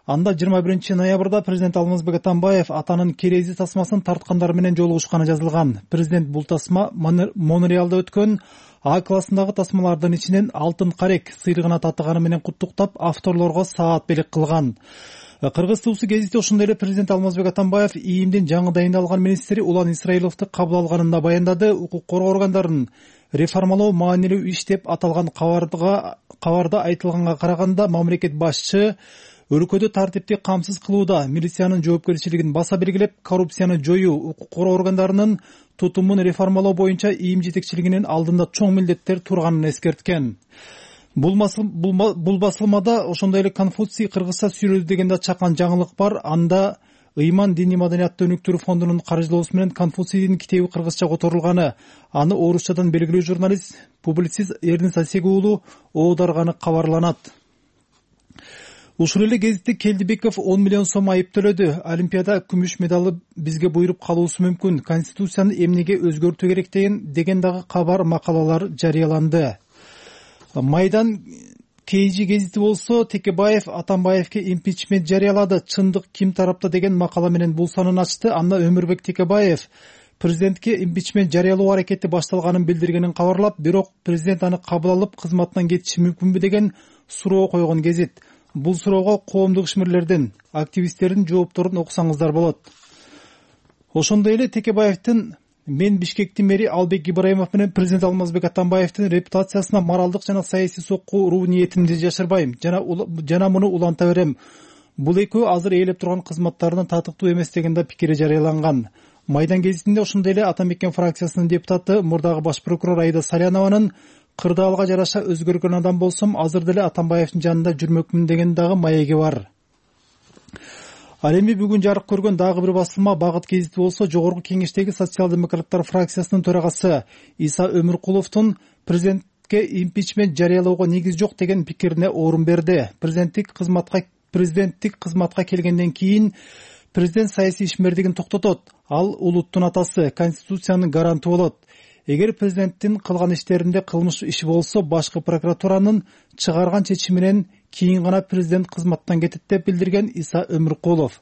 Speaker 14: Анда жыйырма биринчи ноябрда президент Алмазбек Атамбаев атанын керези тасмасын тарткандар менен жолугушканы жазылган. Президент бул тасма Монреалда өткөн А классындагы тасмалардын ичинен алтын карек сыйлыгына татыганы менен куттуктап, авторлорго саат белек кылган. Кыргыз туусу гезити ошондой эле президент Алмазбек Атамбаев ИИМдин жаңы дайындалган министри Улан Исраиловду кабыл алганында баяндады. Укук коргоо органдарын реформалоо маанилүү иш деп аталган кабарда айтылганга караганда, мамлекет башчы өлкөдө тартипти камсыз кылууда милициянын жоопкерчилигин баса белгилеп, коррупцияны жоюу, укук коргоо органдарынын тутумун реформалоо боюнча ИИМ жетекчилигинин алдында чоң милдеттер турганын эскерткен. Бул басылмада ошондой эле Конфуций кыргызча сүйлөдү дегенде чакан жаңылык бар. Анда Ыйман диний маданияттуу өнүктүрүү фондунун каржылоосу менен Конфуцийдин китеби кыргызча которулганы, аны орусчадан белгилүү журналист, публицист Эрдин Сасеги уулу оодарганы кабарланат. Ушул эле гезитте Келдибеков он миллион сом айып төлөдү. Олимпиада күмүш медалы бизге буйруп калуусу мүмкүн. Конституцияны эмнеге өзгөртүү керек деген деген дагы кабар макалалар жарыяланды. Майдан Кейжи гезити болсо Текебаев Атамбаевке импичмент жарыялады. Чындык ким тарапта деген макала менен бул санын ачты. Анда Өмүрбек Текебаев президентке импичмент жарыялоо аракети башталганын билдиргенин кабарлап, бирок президент аны кабыл алып кызматтан кетиши мүмкүнбү деген суроо койгон гезит. Бул суроого коомдук ишмерлердин, активисттердин жоопторун окусаңыздар болот. Ошондой эле Текебаевдин мен Бишкектин мэри Албек Ибраимов менен президент Алмазбек Атамбаевдин репутациясына моралдык жана саясий сокку ниетимди жашырбайм жана жана муну уланта берем. Бул экөө азыр ээлеп турган кызматтарынан татыктуу эмес деген да пикири жарыяланган. Майдан гезитинде ошондой эле Атамекен фракциясынын депутаты мурдагы баш прокурор Айда Салянованын кырдаалга жараша өзгөргөн адам болсом, азыр деле Атамбаевдин жанында жүрмөкмүн деген дагы маеги бар. Ал эми бүгүн жарык көргөн дагы бир басылма Багыт гезити болсо, жогорку кеңештеги социал-демократтар фракциясынын төрагасы Иса Өмүркуловдун президентке импичмент жарыялоого негиз жок деген пикирине орун берди. Президенттик кызматка президенттик кызматка келгенден кийин президент саясий ишмердигин токтотот. Ал улуттун атасы, конституциянын гаранты болот. Эгер президенттин кылган иштеринде кылмыш иши болсо, башкы прокуратуранын чыгарган чечиминен кийин гана президент кызматтан кетет деп билдирген Иса Өмүркулов.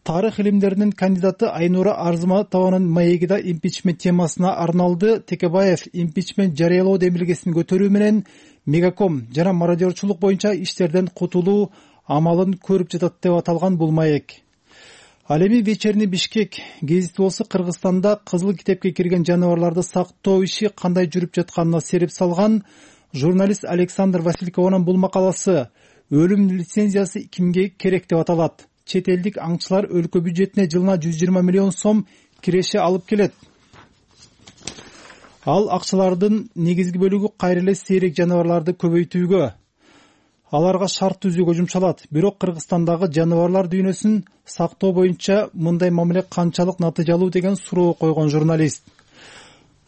Speaker 14: Тарых илимдеринин кандидаты Айнура Арзыматованын маеги да импичмент темасына арналды. Текебаев импичмент жарыялоо демилгесин көтөрүү менен Мегаком жана мародерчулук боюнча иштерден кутулуу амалын көрүп жатат деп аталган бул маек. Ал эми Вечерний Бишкек гезити болсо, Кыргызстанда кызыл китепке кирген жаныбарларды сактоо иши кандай жүрүп жатканына сереп салган. Журналист Александр Василькованын бул макаласы өлүм лицензиясы кимге керек деп аталат. Чет элдик аңчылар өлкө бюджетине жылына жүз жыйырма миллион сом киреше алып келет. Ал акчалардын негизги бөлүгү кайра эле сейрек жаныбарларды көбөйтүүгө, аларга шарт түзүүгө жумшалат. Бирок Кыргызстандагы жаныбарлар дүйнөсүн сактоо боюнча мындай мамиле канчалык натыйжалуу деген суроо койгон журналист.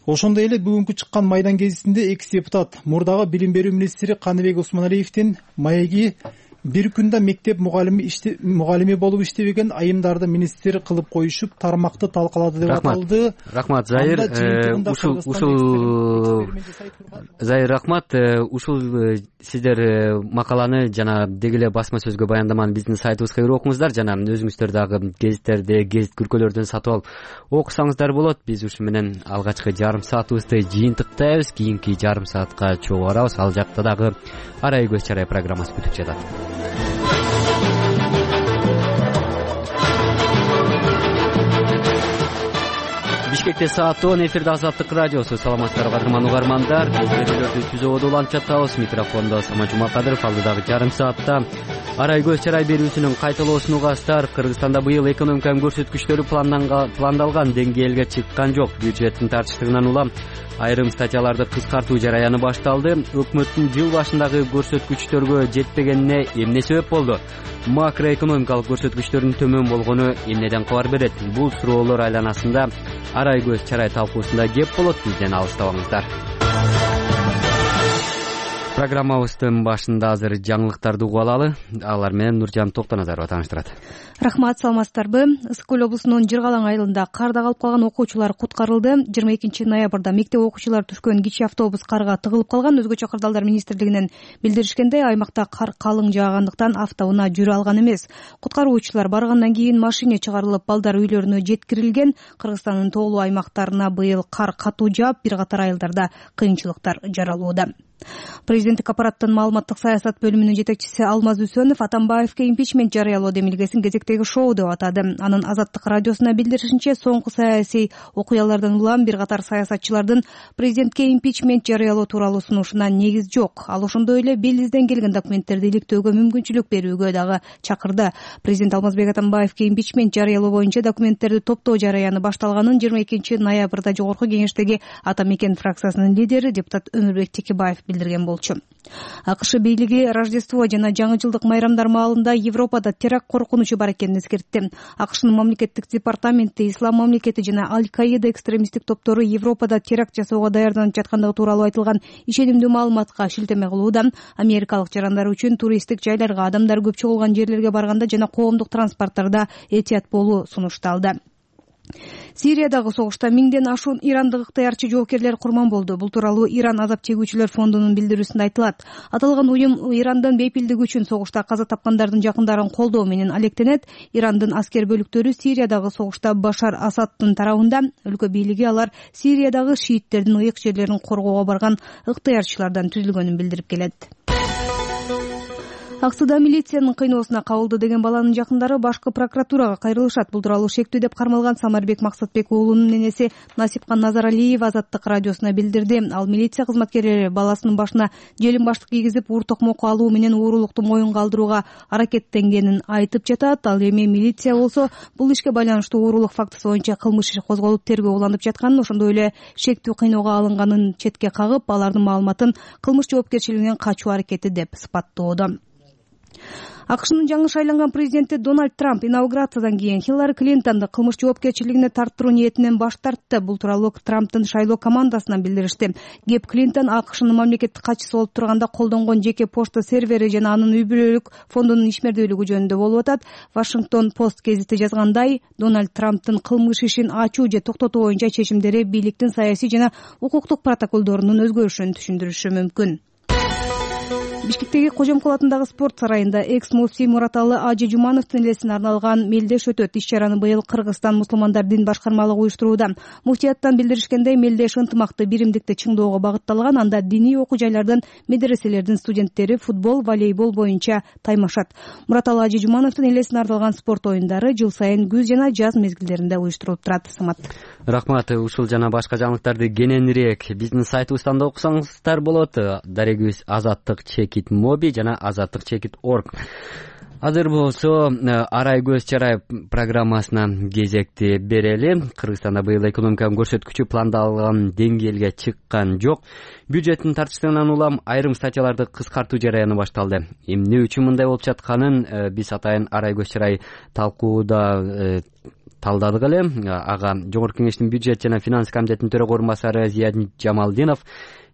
Speaker 14: Ошондой эле бүгүнкү чыккан Майдан гезитинде экс депутат мурдагы билим берүү министри Каныбек Усманалиевдин маеги бир күндө мектеп мугалими мугалими болуп иштебеген айымдарды министр кылып коюшуп тармакты талкалады деп аталды.
Speaker 1: Рахмат Зайыр. Ушул ушул Зайыр рахмат. Ушул сиздер макаланы жана деги эле басма сөзгө баяндаманы биздин сайтыбызга кирип окуңуздар, жана өзүңүздөр дагы гезиттерди, гезит күркөлөрдөн сатып алып окусаңыздар болот. Биз ушу менен алгачкы жарым саатыбызды жыйынтыктайбыз. Кийинки жарым саатка чогуу барабыз. Ал жакта дагы арай көз чарай программасы күтүп жатат. Бишкекте саат он, эфирде Азаттык радиосу. Саламатсыздарбы кадырман угармандар. Биз берүүлөрдү түзүүгө улантып жатабыз. Микрофондо Самат Жумакадыров. Алдыдагы жарым саатта арай көз чарай берүүсүнүн кайталоосун угасыздар. Кыргызстанда быйыл экономиканын көрсөткүчтөрү пландалган деңгээлге чыккан жок. Бюджеттин тартыштыгынан улам айрым статьяларды кыскартуу жараяны башталды. Өкмөттүн жыл башындагы көрсөткүчтөргө жетпегенине эмне себеп болду? Макроэкономикалык көрсөткүчтөрдүн төмөн болгону эмнеден кабар берет? Бул суроолор айланасында арай көз чарай талкуусунда кеп болот. Бизден алыстабаңыздар. Программабыздын башында азыр жаңылыктарды угуп алалы. Алар менен Нуржан Токтоназарова тааныштырат.
Speaker 4: Рахмат, саламатсыздарбы? Ысык көл облусунун Жыргалаң айылында карда калып калган окуучулар куткарылды. жыйырма экинчи ноябрда мектеп окуучулары түшкөн кичи автобус карга тыгылып калган. Өзгөчө кырдаалдар министрлигинен билдиришкендей, аймакта кар калың жаагандыктан автоунаа жүрө алган эмес. Куткаруучулар баргандан кийин машине чыгарылып, балдар үйлөрүнө жеткирилген. Кыргызстандын тоолуу аймактарына быйыл кар катуу жаап, бир катар айылдарда кыйынчылыктар жаралууда. Президенттик аппараттын маалыматтык саясат бөлүмүнүн жетекчиси Алмаз Үсөнов Атамбаевке импичмент жарыялоо демилгесин кезектеги шоу деп атады. Анын Азаттык радиосуна билдиришинче, соңку саясий окуялардан улам бир катар саясатчылардын президентке импичмент жарыялоо тууралуу сунушуна негиз жок. Ал ошондой эле белизден келген документтерди иликтөөгө мүмкүнчүлүк берүүгө дагы чакырды. Президент Алмазбек Атамбаевке импичмент жарыялоо боюнча документтерди топтоо жараяны башталганын жыйырма экинчи ноябрда Жогорку Кеңештеги Атамекен фракциясынын лидери депутат Өмүрбек Текебаев билдирген болчу. АКШ бийлиги Рождество жана жаңы жылдык майрамдар маалында Европада теракт коркунучу бар экенин эскертти. АКШнын мамлекеттик департаменти Ислам мамлекети жана Аль-Каида экстремисттик топтору Европада теракт жасоого даярданып жаткандыгы тууралуу айтылган ишенимдүү маалыматка шилтеме кылууда. Америкалык жарандар үчүн туристтик жайларга, адамдар көп чогулган жерлерге барганда жана коомдук транспорттарда этият болуу сунушталды. Сириядагы согушта миңден ашуун ирандык ыктыярчы жоокерлер курман болду. Бул тууралуу Иран азап чегүүчүлөр фондунун билдирүүсүндө айтылат. Аталган уюм Ирандын бейпилдиги үчүн согушта каза тапкандардын жакындарын колдоо менен алектенет. Ирандын аскер бөлүктөрү Сириядагы согушта Башар Асадтын тарабында. Өлкө бийлиги алар Сириядагы шииттердин ыйык жерлерин коргоого барган ыктыярчылардан түзүлгөнүн билдирип келет. Аксыда милициянын кыйноосуна кабылды деген баланын жакындары башкы прокуратурага кайрылышат. Бул тууралуу шектүү деп кармалган Самарбек Максатбек уулунун ненеси Насипкан Назаралиева Азаттык радиосуна билдирди. Ал милиция кызматкерлери баласынын башына желим баштык кийгизип, уур токмок алуу менен уурулукту моюнга алдырууга аракеттенгенин айтып жатат. Ал эми милиция болсо бул ишке байланыштуу уурулук фактысы боюнча кылмыш иши козголуп тергөө уланып жатканын, ошондой эле шектүү кыйноого алынганын четке кагып, алардын маалыматын кылмыш жоопкерчилигинен качуу аракети деп сыпаттоодо. АКШнын жаңы шайланган президенти Дональд Трамп инаугурациядан кийин Хиллари Клинтонду кылмыш жоопкерчилигине тарттыруу ниетинен баш тартты. Бул тууралуу Трамптын шайлоо командасынан билдиришти. Кеп Клинтон АКШнын мамлекеттик катчысы болуп турганда колдонгон жеке почта сервери жана анын үй бүлөлүк фондунун ишмердүүлүгү жөнүндө болуп атат. Вашингтон Пост гезити жазгандай, Дональд Трамптын кылмыш ишин ачуу же токтотуу боюнча чечимдери бийликтин саясий жана укуктук протоколдорунун өзгөрүшүн түшүндүрүшү мүмкүн. Бишкектеги Кожомкул атындагы спорт сарайында экс-муфтий Мураталы Ажы Жумановдун элесине арналган мелдеш өтөт. Иш-чараны быйыл Кыргызстан мусулмандар дин башкармалыгы уюштурууда. Муфтияттан билдиришкендей, мелдеш ынтымакты, биримдикти чыңдоого багытталган. Анда диний окуу жайлардан медреселердин студенттери футбол, волейбол боюнча таймашат. Мураталы Ажы Жумановдун элесине арналган спорт оюндары жыл сайын күз жана жаз мезгилдеринде уюштурулуп турат. Самат.
Speaker 1: Рахмат. Ушул жана башка жаңылыктарды кененирээк биздин сайтыбыздан да окусаңыздар болот. Дарегибиз Азаттык чекит моби жана азаттык чекит орг. Азыр болсо арай көз чарай программасына кезекти берели. Кыргызстанда быйыл экономиканын көрсөткүчү пландалган деңгээлге чыккан жок. Бюджеттин тартыштыгынан улам айрым статьяларды кыскартуу жараяны башталды. Эмне үчүн мындай болуп жатканын биз атайын арай көз чарай талкууда талдадык эле. Ага Жогорку Кеңештин бюджет жана финанс комитетинин төрага орун басары Зиядин Жамалдинов,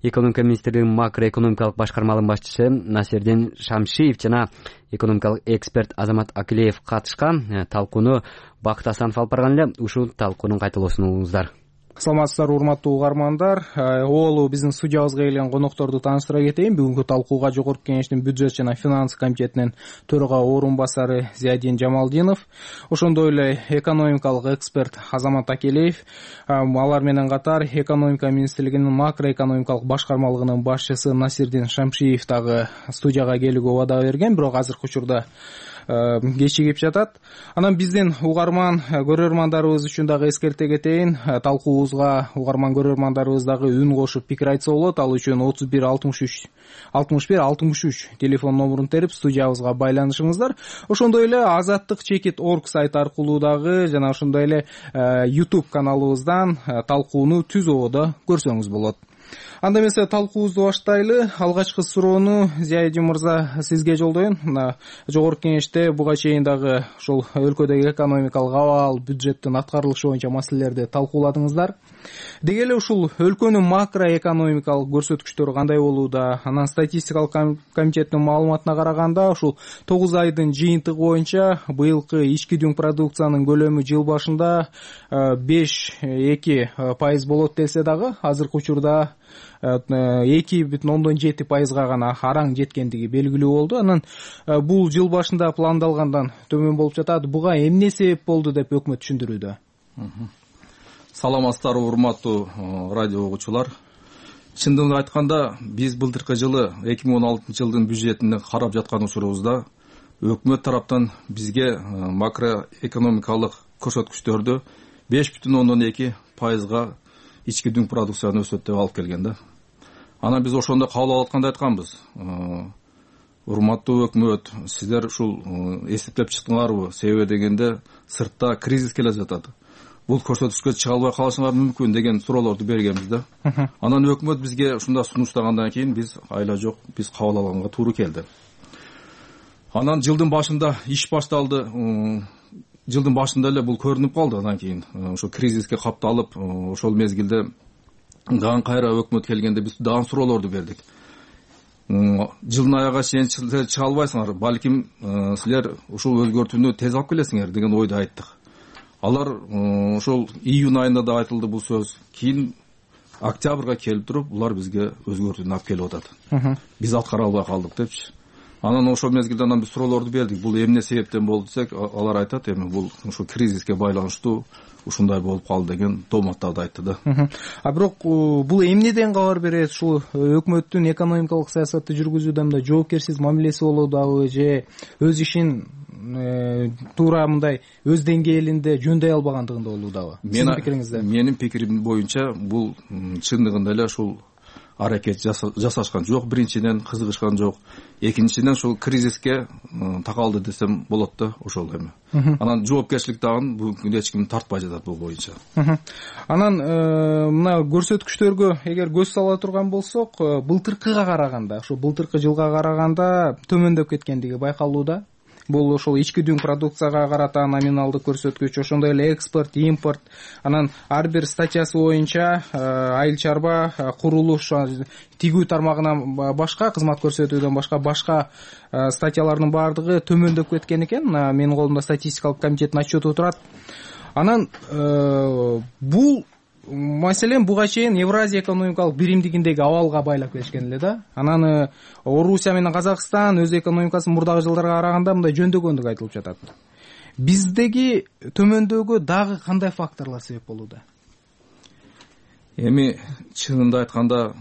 Speaker 1: экономика министрлигинин макроэкономикалык башкармалыгынын башчысы Насирдин Шамшиев жана экономикалык эксперт Азамат Акилеев катышкан. Талкууну Бакыт Асанов алып барган эле. Ушул талкуунун кайталоосун угуңуздар.
Speaker 15: Саламатсыздарбы, урматтуу угармандар. Оолу биздин студиябызга келген конокторду тааныштыра кетейин. Бүгүнкү талкууга Жогорку Кеңештин бюджет жана финанс комитетинин төрага орун басары Зиядин Жамалдинов, ошондой эле экономикалык эксперт Азамат Акилеев, алар менен катар экономика министрлигинин макроэкономикалык башкармалыгынын башчысы Насирдин Шамшиев дагы студияга келүүгө убада берген, бирок азыркы учурда кечигип жатат. Анан биздин угарман көрөрмандарыбыз үчүн дагы эскерте кетейин. Талкуубузга угарман көрөрмандарыбыз дагы үн кошуп пикир айтса болот. Ал үчүн отуз бир алтымыш үч алтымыш бир алтымыш үч телефон номурун терип студиябызга байланышыңыздар. Ошондой эле азаттык чекит орг сайт аркылуу дагы жана ошондой эле YouTube каналыбыздан талкууну түз ободо көрсөңүз болот. Анда эмесе талкуубузду баштайлы. Алгачкы суроону Зиядин мырза сизге жолдоюн. Жогорку Кеңеште буга чейин дагы ошол өлкөдөгү экономикалык абал, бюджеттин аткарылышы боюнча маселелерди талкууладыңыздар. Деги эле ушул өлкөнүн макроэкономикалык көрсөткүчтөрү кандай болууда? Анан статистикалык комитеттин маалыматына караганда, ушул тогуз айдын жыйынтыгы боюнча быйылкы ички дүң продукциянын көлөмү жыл башында беш эки пайыз болот делсе дагы, азыркы учурда эки бүтүн ондон жети пайызга гана араң жеткендиги белгилүү болду. Анан бул жыл башында пландалгандан төмөн болуп жатат. Буга эмне себеп болду деп өкмөт түшүндүрүүдө?
Speaker 16: Саламатсыздарбы, урматтуу радио угуучулар. Чындыгын айтканда, биз былтыркы жылы эки миң он алтынчы жылдын бюджетин карап жаткан учурубузда өкмөт тараптан бизге макроэкономикалык көрсөткүчтөрдү беш бүтүн ондон эки пайызга ички дүң продукцияны өсөт деп алып келген да. Анан биз ошондо кабыл алып атканда айтканбыз. Урматтуу өкмөт, сиздер ушул эсептеп чыктыңарбы? Себеби дегенде сыртта кризис келе жатат. Бул көрсөткүчкө чыга албай калышыңар мүмкүн деген суроолорду бергенбиз да. Анан өкмөт бизге ушундай сунуштагандан кийин биз айла жок, биз кабыл алганга туура келди. Анан жылдын башында иш башталды. Жылдын башында эле бул көрүнүп калды. Андан кийин ошо кризиске капталып, ошол мезгилде дагы кайра өкмөт келгенде биз дагы суроолорду бердик. Жылдын аягына чейин чыга албайсыңар, балким силер ушул өзгөртүүнү тез алып келесиңер деген ойду айттык. Алар ошол июнь айында да айтылды бул сөз. Кийин октябрга келип туруп, булар бизге өзгөртүүнү алып келип атат. Биз аткара албай калдык депчи. Анан ошол мезгилде анан биз суроолорду бердик. Бул эмне себептен болду десек, алар айтат, эми бул ошо кризиске байланыштуу ушундай болуп калды деген тооматтарды айтты да.
Speaker 15: А бирок бул эмнеден кабар берет? Ушул өкмөттүн экономикалык саясатты жүргүзүүдө мындай жоопкерсиз мамилеси болуудабы же өз ишин туура мындай өз деңгээлинде жөндөй албагандыгында болуудабы? Сиздин пикириңизде?
Speaker 16: Менин пикирим боюнча бул чындыгында эле ушул аракет жасашкан жок. Биринчиден кызыгышкан жок. Экинчиден ушул кризиске такалды десем болот да, ошол эми. Анан жоопкерчилик дагы бүгүнкү күндө эч ким тартпай жатат бул боюнча.
Speaker 15: Анан мына көрсөткүчтөргө эгер көз сала турган болсок, былтыркыга караганда, ошо былтыркы жылга караганда төмөндөп кеткендиги байкалууда. Бул ошол ички дүң продукцияга карата номиналдык көрсөткүч, ошондой эле экспорт, импорт, анан ар бир статьясы боюнча айыл чарба, курулуш, тигүү тармагынан башка, кызмат көрсөтүүдөн башка башка статьялардын баардыгы төмөндөп кеткен экен. Менин колумда статистикалык комитеттин отчету турат. Анан бул маселен буга чейин Евразия экономикалык биримдигиндеги абалга байлап келишкен эле да. Анан Орусия менен Казакстан өз экономикасын мурдагы жылдарга караганда мындай жөндөгөндүгү айтылып жатат. Биздеги төмөндөөгө дагы кандай факторлор себеп болууда?
Speaker 16: Эми чынында айтканда,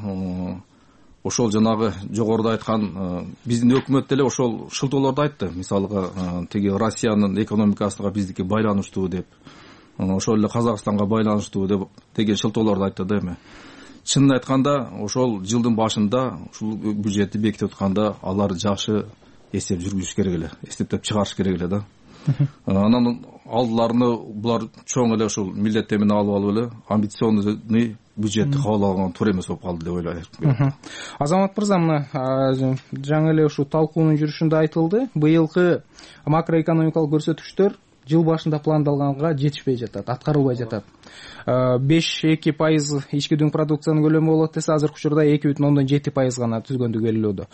Speaker 16: ошол жанагы жогоруда айткан биздин өкмөт деле ошол шылтоолорду айтты. Мисалга, тиги Россиянын экономикасына биздики байланыштуу деп, ошол эле Казакстанга байланыштуу деп деген шылтоолорду айтты да эми. Чынын айтканда, ошол жылдын башында ушул бюджетти бекитип атканда алар жакшы эсеп жүргүзүш керек эле, эсептеп чыгарыш керек эле да. Анан алдыларына булар чоң эле ушул милдеттер менен алып алып эле амбиционный бюджетти кабыл алган туура эмес болуп калды деп ойлойм.
Speaker 15: Азамат мырза, мына жаңы эле ушул талкуунун жүрүшүндө айтылды, быйылкы макроэкономикалык көрсөткүчтөр жыл башында пландалганга жетишпей жатат, аткарылбай жатат. беш эки пайыз ички дүң продукциянын көлөмү болот десе, азыркы учурда эки бүтүн ондон жети пайыз гана түзгөндүгү белгилөөдө.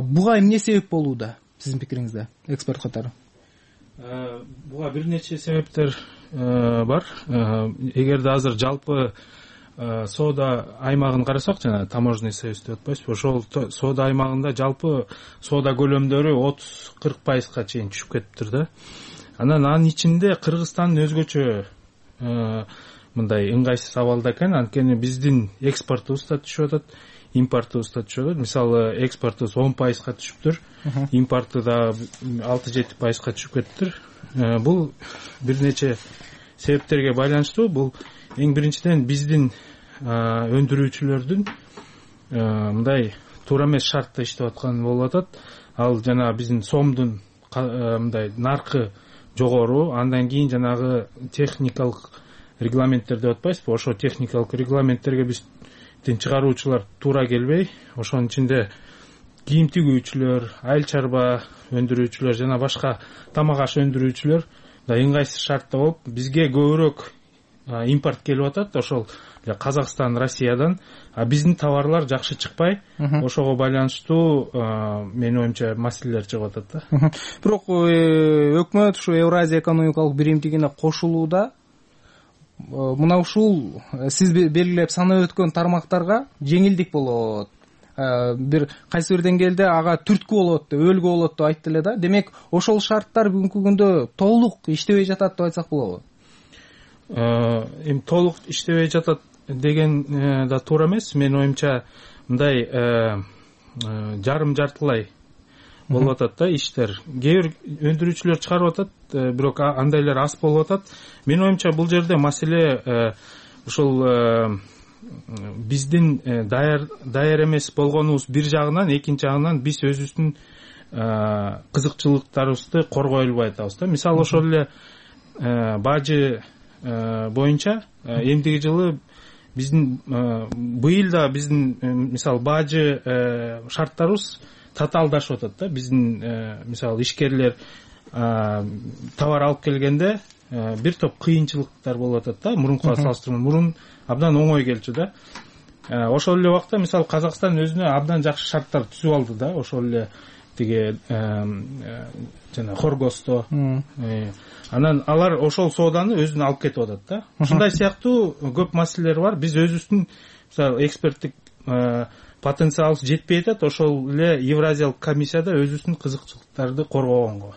Speaker 15: Буга эмне себеп болууда сиздин пикириңизде, эксперт катары?
Speaker 17: Буга бир нече себептер бар. Эгерде азыр жалпы соода аймагын карасак, жана таможенный союз деп атпайбызбы, ошол соода аймагында жалпы соода көлөмдөрү отуз кырк пайызга чейин түшүп кетиптир да. Анан анын ичинде Кыргызстан өзгөчө мындай ыңгайсыз абалда экен, анткени биздин экспортубуз да түшүп атат, импортубуз да түшүп атат. Мисалы, экспортубуз он пайызга түшүптүр, импорты да алты жети пайызга түшүп кетиптир. Бул бир нече себептерге байланыштуу. Бул эң биринчиден биздин өндүрүүчүлөрдүн мындай туура эмес шартта иштеп атканы болуп атат. Ал жана биздин сомдун мындай наркы жогору, андан кийин жанагы техникалык регламенттер деп атпайбызбы, ошо техникалык регламенттерге биздин чыгаруучулар туура келбей, ошонун ичинде кийим тигүүчүлөр, айыл чарба өндүрүүчүлөр жана башка тамак аш өндүрүүчүлөр да ыңгайсыз шартта болуп, бизге көбүрөөк импорт келип атат, ошол Казакстан, Россиядан, а биздин товарлар жакшы чыкпай, ошого байланыштуу менин оюмча маселелер чыгып атат да.
Speaker 15: Бирок өкмөт ушу Евразия экономикалык биримдигине кошулууда мына ушул сиз белгилеп санап өткөн тармактарга жеңилдик болот. Бир кайсы бир деңгээлде ага түрткү болот деп, өлгү болот деп айтты эле да. Демек, ошол шарттар бүгүнкү күндө толук иштебей жатат деп айтсак болобу?
Speaker 17: Эми толук иштебей жатат деген да туура эмес. Менин оюмча мындай жарым жартылай болуп атат да иштер. Кээ бир өндүрүүчүлөр чыгарып атат, бирок андайлар аз болуп атат. Менин оюмча бул жерде маселе ушул биздин даяр даяр эмес болгонубуз бир жагынан, экинчи жагынан биз өзүбүздүн кызыкчылыктарыбызды коргой албай атабыз да. Мисалы, ошол эле бажы боюнча эмдиги жылы биздин быйыл да биздин мисалы бажы шарттарыбыз татаалдашып атат да. Биздин мисалы ишкерлер товар алып келгенде бир топ кыйынчылыктар болуп атат да. Мурункуга салыштырмалуу мурун абдан оңой келчү да. Ошол эле убакта мисалы Казакстан өзүнө абдан жакшы шарттар түзүп алды да. Ошол эле тиги жана Хоргосто. Анан алар ошол сооданы өзүнө алып кетип атат да. Ушундай сыяктуу көп маселелер бар. Биз өзүбүздүн мисалы эксперттик потенциалыбыз жетпей атат. Ошол эле Евразиялык комиссияда өзүбүздүн кызыкчылыктарды коргогонго.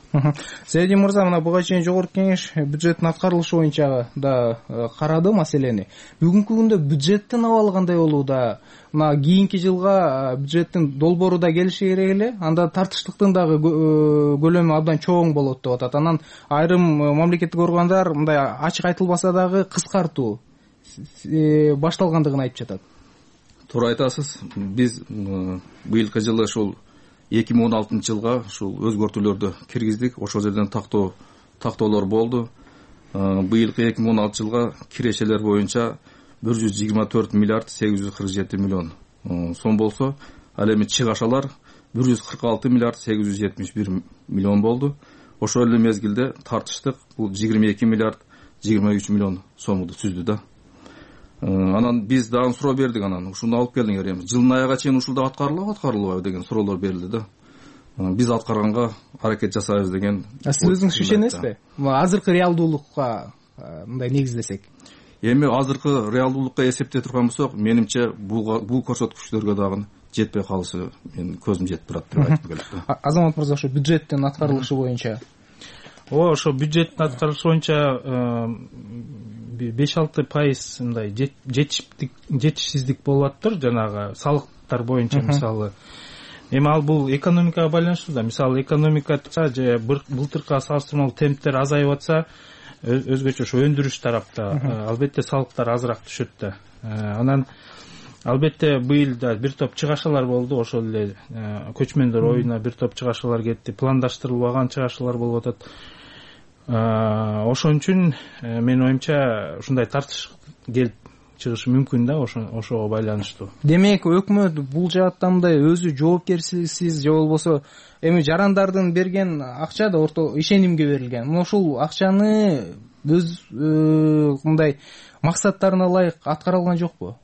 Speaker 15: Зайдин мырза, мына буга чейин жогорку кеңеш бюджеттин аткарылышы боюнча да карады маселени. Бүгүнкү күндө бюджеттин абалы кандай болууда? Мына кийинки жылга бюджеттин долбоору да келиши керек эле. Анда тартыштыктын дагы көлөмү абдан чоң болот деп атат. Анан айрым мамлекеттик органдар мындай ачык айтылбаса дагы кыскартуу башталгандыгын айтып жатат.
Speaker 16: Туура айтасыз. Биз быйылкы жылы ушул эки миң он алтынчы жылга ушул өзгөртүүлөрдү киргиздик. Ошол жерден тактоо тактоолор болду. Быйылкы эки миң он алтынчы жылга кирешелер боюнча бир жүз жыйырма төрт миллиард сегиз жүз кырк жети миллион сом болсо, ал эми чыгашалар бир жүз кырк алты миллиард сегиз жүз жетимиш бир миллион болду. Ошол эле мезгилде тартыштык бул жыйырма эки миллиард жыйырма үч миллион сомду түздү да. Анан биз дагы суроо бердик, анан ушуну алып келдиңер, эми жылдын аягына чейин ушул аткарылабы, аткарылбайбы деген суроолор берилди да. Биз аткарганга аракет жасайбыз деген.
Speaker 15: Сиз өзүңүз ишенесизби? Азыркы реалдуулукка мындай негиздесек.
Speaker 16: Эми азыркы реалдуулукка эсептей турган болсок, менимче бул бул көрсөткүчтөргө дагы жетпей калышы менин көзүм жетип турат деп айткым келет да.
Speaker 15: Азамат мырза, ошо бюджеттин аткарылышы боюнча.
Speaker 17: Ооба, ошо бюджеттин аткарылышы боюнча беш алты пайыз мындай жетиштик жетишсиздик болуп атыптыр, жанагы салыктар боюнча мисалы. Эми ал бул экономикага байланыштуу да. Мисалы экономика же былтыркыга салыштырмалуу темптер азайып атса, өзгөчө ошо өндүрүш тарапта албетте салыктар азыраак түшөт да. Анан албетте быйыл да бир топ чыгашалар болду, ошол эле көчмөндөр оюна бир топ чыгашалар кетти, пландаштырылбаган чыгашалар болуп атат. Ошон үчүн менин оюмча ушундай тартыш келип чыгышы мүмкүн да ошого байланыштуу.
Speaker 15: Демек өкмөт бул жааттан мындай өзү жоопкерчиликсиз же болбосо эми жарандардын берген акча да орто ишенимге берилген. Мына ушул акчаны өз мындай максаттарына ылайык аткара алган жокпу?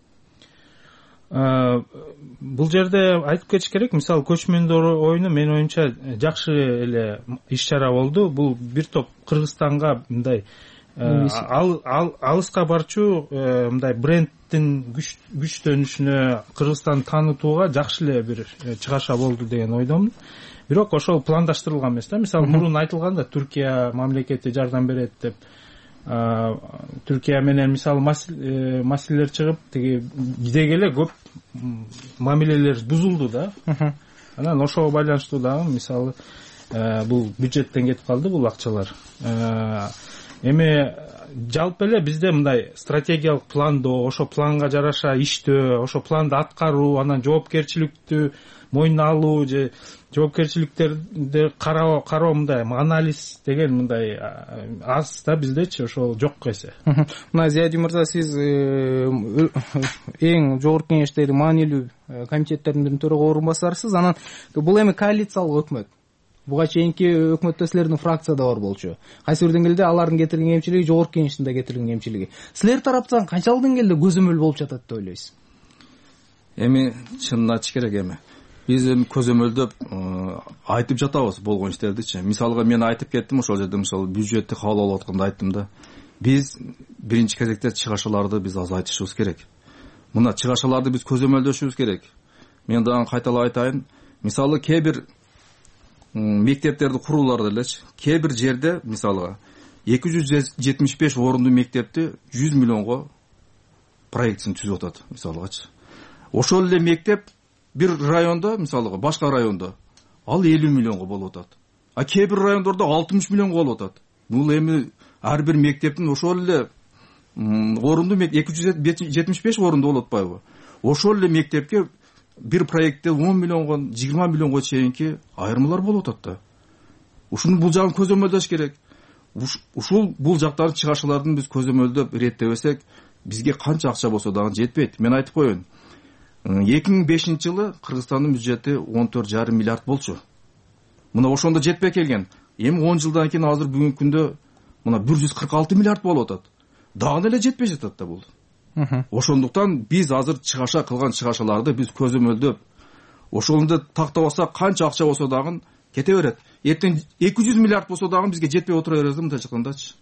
Speaker 17: Бул жерде айтып кетиш керек, мисалы көчмөндөр оюну менин оюмча жакшы эле иш чара болду. Бул бир топ Кыргызстанга мындай алыска барчу мындай брендтин күчтөнүшүнө, Кыргызстанды таанытууга жакшы эле бир чыгаша болду деген ойдомун. Бирок ошол пландаштырылган эмес да. Мисалы мурун айтылган да, Түркия мамлекети жардам берет деп. Түркия менен мисалы маселелер чыгып, тиги деги эле көп мамилелер бузулду да. Анан ошого байланыштуу дагы мисалы бул бюджеттен кетип калды бул акчалар. Эми жалпы эле бизде мындай стратегиялык пландоо, ошо планга жараша иштөө, ошо планды аткаруу, анан жоопкерчиликтүү мойнуна алуу же жоопкерчиликтерди кароо кароо мындай анализ деген мындай аз да биздечи, ошол жок эсе.
Speaker 15: Мына Зиядин мырза, сиз эң жогорку кеңештеги маанилүү комитеттердин биринин төрага орун басарсыз. Анан бул эми коалициялык өкмөт. Буга чейинки өкмөттө силердин фракция да бар болчу. Кайсы бир деңгээлде алардын кетирген кемчилиги жогорку кеңештин да кетирген кемчилиги. Силер тараптан канчалык деңгээлде көзөмөл болуп жатат деп ойлойсуз?
Speaker 16: Эми чынын айтыш керек эми. Биз эми көзөмөлдөп айтып жатабыз болгон иштердичи. Мисалга мен айтып кеттим ошол жерде, мисалы бюджетти кабыл алып атканда айттым да. Биз биринчи кезекте чыгашаларды биз азайтышыбыз керек. Мына чыгашаларды биз көзөмөлдөшүбүз керек. Мен дагы кайталап айтайын. Мисалы кээ бир мектептерди курууларда элечи, кээ бир жерде мисалга эки жүз жетимиш беш орундуу мектепти жүз миллионго проектин түзүп атат мисалгачы. Ошол эле мектеп бир райондо, мисалга башка райондо ал элүү миллионго болуп атат. А кээ бир райондордо алтымыш миллионго болуп атат. Бул эми ар бир мектептин ошол эле орунду эки жүз жетимиш беш орунду болуп атпайбы? Ошол эле мектепке бир проектте он миллионго, жыйырма миллионго чейинки айырмалар болуп атат да. Ушуну бул жагын көзөмөлдөш керек. Ушул бул жактагы чыгашалардын биз көзөмөлдөп иреттебесек, бизге канча акча болсо дагы жетпейт. Мен айтып коеюн. эки миң бешинчи жылы Кыргызстандын бюджети он төрт жарым миллиард болчу. Мына ошондо жетпей келген. Эми он жылдан кийин азыр бүгүнкү күндө мына бир жүз кырк алты миллиард болуп атат. Дагы эле жетпей жатат да бул. Ошондуктан биз азыр чыгаша кылган чыгашаларды биз көзөмөлдөп, ошондо тактабасак канча акча болсо дагы кете берет. Эртең эки жүз миллиард болсо дагы бизге жетпей отура берет мынтип айткандачы.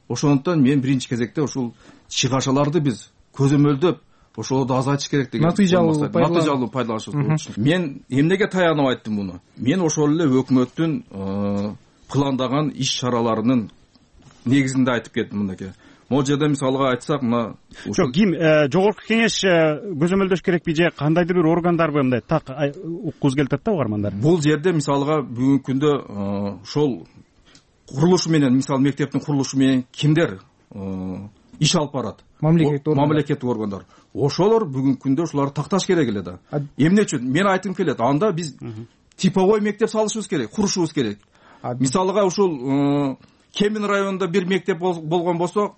Speaker 16: Ошондуктан мен биринчи кезекте ушул чыгашаларды биз көзөмөлдөп, ошолорду азайтыш керек деген
Speaker 15: натыйжалуу
Speaker 16: натыйжалуу пайдаланышыбыз болчу. Мен эмнеге таянып айттым муну? Мен ошол эле өкмөттүн пландаган иш-чараларынын негизинде айтып кеттим мындай. Могу жерде мисалга айтсак, мына
Speaker 18: жок, ким жогорку кеңеш көзөмөлдөш керекпи же кандайдыр бир органдарбы мындай так уккубуз келип атат да угармандар.
Speaker 16: Бул жерде мисалга бүгүнкү күндө ошол курулушу менен, мисалы мектептин курулушу менен кимдер иш алып барат? Мамлекеттик органдар. Ошолор бүгүнкү күндө ушуларды такташ керек эле да. Эмне үчүн? Мен айтым келет, анда биз типовой мектеп салышыбыз керек, курушубуз керек. Мисалга ушул Кемин районунда бир мектеп болгон болсо,